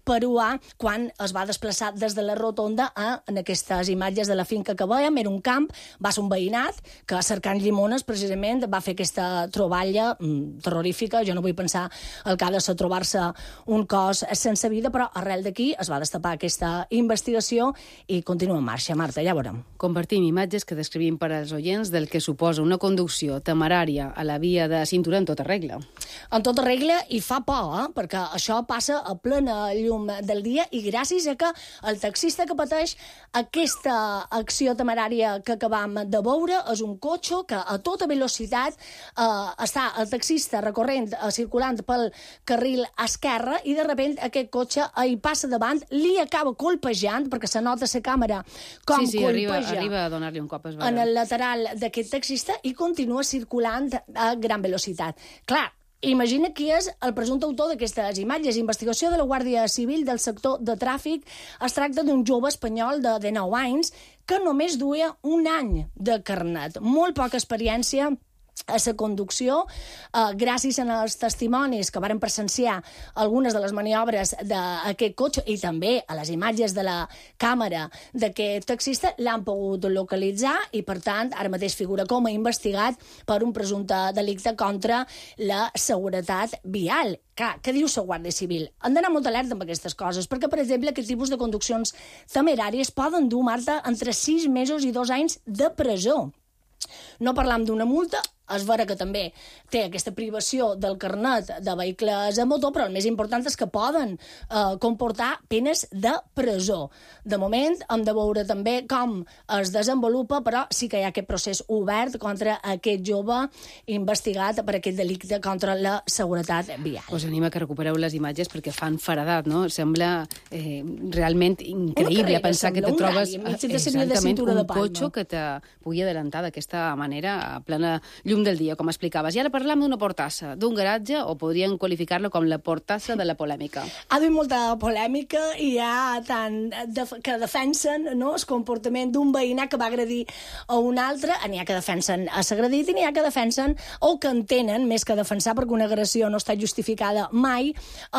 Speaker 22: peruà quan es va desplaçar des de la rotonda a, en aquestes imatges de la finca que veiem. Era un camp, va ser un veïnat que cercant llimones precisament va fer aquesta troballa mm, terrorífica. Jo no vull pensar el que ha de ser trobar-se un cos sense vida, però arrel d'aquí es va destapar aquesta investigació i continua en marxa. Marta, ja veurem.
Speaker 2: Compartim imatges que descrivim per als oients del que suposa una conducció temerària a la via de cintura en tota regla.
Speaker 22: En tota regla, i fa por, eh? Perquè això passa a plena llum del dia i gràcies a que el taxista que pateix aquesta acció temerària que acabam de veure és un cotxe que a tota velocitat eh, està el taxista recorrent, eh, circulant pel carril esquerre, i de sobte aquest cotxe hi passa davant, li acaba colpejant, perquè se nota la càmera com
Speaker 2: sí, sí,
Speaker 22: colpeja
Speaker 2: arriba, arriba a donar-li un cop. Es
Speaker 22: en el lateral d'aquest taxista i continua circulant a gran velocitat. Clar, imagina qui és el presumpte autor d'aquestes imatges. Investigació de la Guàrdia Civil del sector de tràfic. Es tracta d'un jove espanyol de dinou anys que només duia un any de carnet. Molt poca experiència a la conducció, eh, gràcies als testimonis que varen presenciar algunes de les maniobres d'aquest cotxe i també a les imatges de la càmera d'aquest taxista, l'han pogut localitzar i, per tant, ara mateix figura com a investigat per un presumpte delicte contra la seguretat vial. Clar, què diu la Guàrdia Civil? Han d'anar molt alerta amb aquestes coses, perquè, per exemple, aquest tipus de conduccions temeràries poden dur, Marta, entre sis mesos i dos anys de presó. No parlam d'una multa, és vera que també té aquesta privació del carnet de vehicles a motor, però el més important és que poden eh, comportar penes de presó. De moment hem de veure també com es desenvolupa, però sí que hi ha aquest procés obert contra aquest jove investigat per aquest delicte contra la seguretat vial.
Speaker 2: Us anima que recupereu les imatges perquè fan faradat, no? Sembla eh, realment increïble
Speaker 22: carrera,
Speaker 2: pensar que te
Speaker 22: sembla un
Speaker 2: trobes
Speaker 22: rally enmig de la línia de cintura
Speaker 2: un
Speaker 22: de Palma.
Speaker 2: cotxe que te pugui adelantar d'aquesta manera a plena llum del dia, com explicaves. I ara parlam d'una portassa, d'un garatge, o podríem qualificar-lo com la portassa de la polèmica.
Speaker 22: Ha d'haver molta polèmica i hi ha tant de, que defensen, no, el comportament d'un veïnat que va agredir a un altre, n'hi ha que defensen a s'agredit i n'hi ha que defensen o que entenen, més que defensar perquè una agressió no està justificada mai,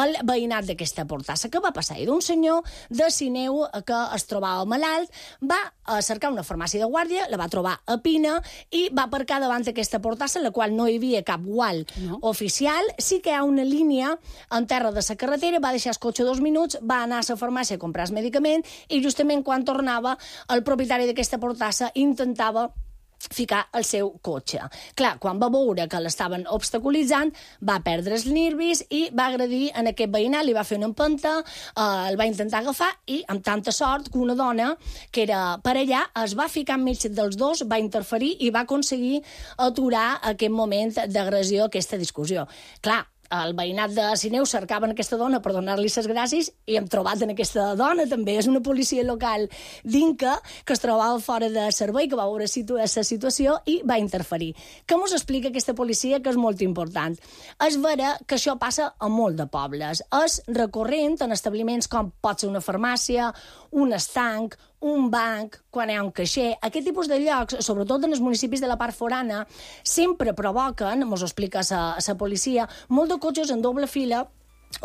Speaker 22: el veïnat d'aquesta portassa. Què va passar? Hi d'un senyor de Sineu que es trobava malalt, va a cercar una farmàcia de guàrdia, la va trobar a Pina i va aparcar davant d'aquesta portassa portassa, en la qual no hi havia cap gual no. oficial. Sí que hi ha una línia en terra de la carretera, va deixar el cotxe dos minuts, va anar a la farmàcia a comprar el medicament i justament quan tornava el propietari d'aquesta portassa intentava ficar el seu cotxe. Clar, quan va veure que l'estaven obstaculitzant, va perdre els nervis i va agredir en aquest veïnat, li va fer una empenta, eh, el va intentar agafar i, amb tanta sort, que una dona que era per allà es va ficar enmig dels dos, va interferir i va aconseguir aturar aquest moment d'agressió, aquesta discussió. Clar, el veïnat de Sineu cercaven aquesta dona per donar-li les gràcies i hem trobat en aquesta dona també. És una policia local d'Inca que es trobava fora de servei, que va veure la situació i va interferir. Què mos explica aquesta policia? Que és molt important. És vera que això passa a molt de pobles. És recorrent en establiments com pot ser una farmàcia, un estanc, un banc, quan hi ha un caixer. Aquest tipus de llocs, sobretot en els municipis de la part forana, sempre provoquen, mos ho explica la policia, molt de cotxes en doble fila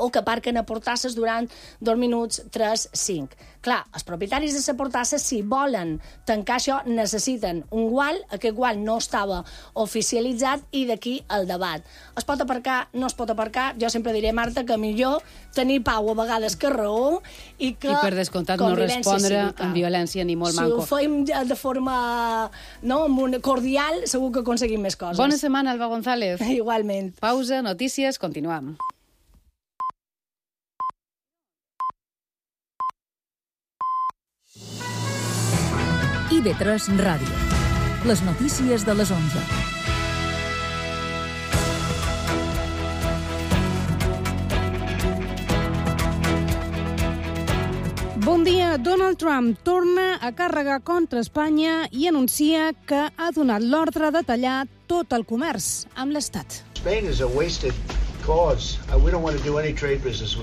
Speaker 22: o que aparquen a portasses durant dos minuts, tres, cinc. Clar, els propietaris de la portassa, si volen tancar això, necessiten un gual, aquest gual no estava oficialitzat i d'aquí el debat. Es pot aparcar, no es pot aparcar? Jo sempre diré, Marta, que millor tenir pau a vegades que raó i que...
Speaker 2: I per descomptat no respondre cívica. Amb violència ni molt manco.
Speaker 22: Si ho fem de forma no, cordial, segur que aconseguim més coses.
Speaker 2: Bona setmana, Alba González.
Speaker 22: Igualment.
Speaker 2: Pausa, notícies, continuam.
Speaker 1: I V tres Ràdio. Les notícies de les onze.
Speaker 9: Bon dia. Donald Trump torna a carregar contra Espanya i anuncia que ha donat l'ordre de tallar tot el comerç amb l'Estat.
Speaker 5: Spain is a wasted cause. Uh, we don't want to do any trade business with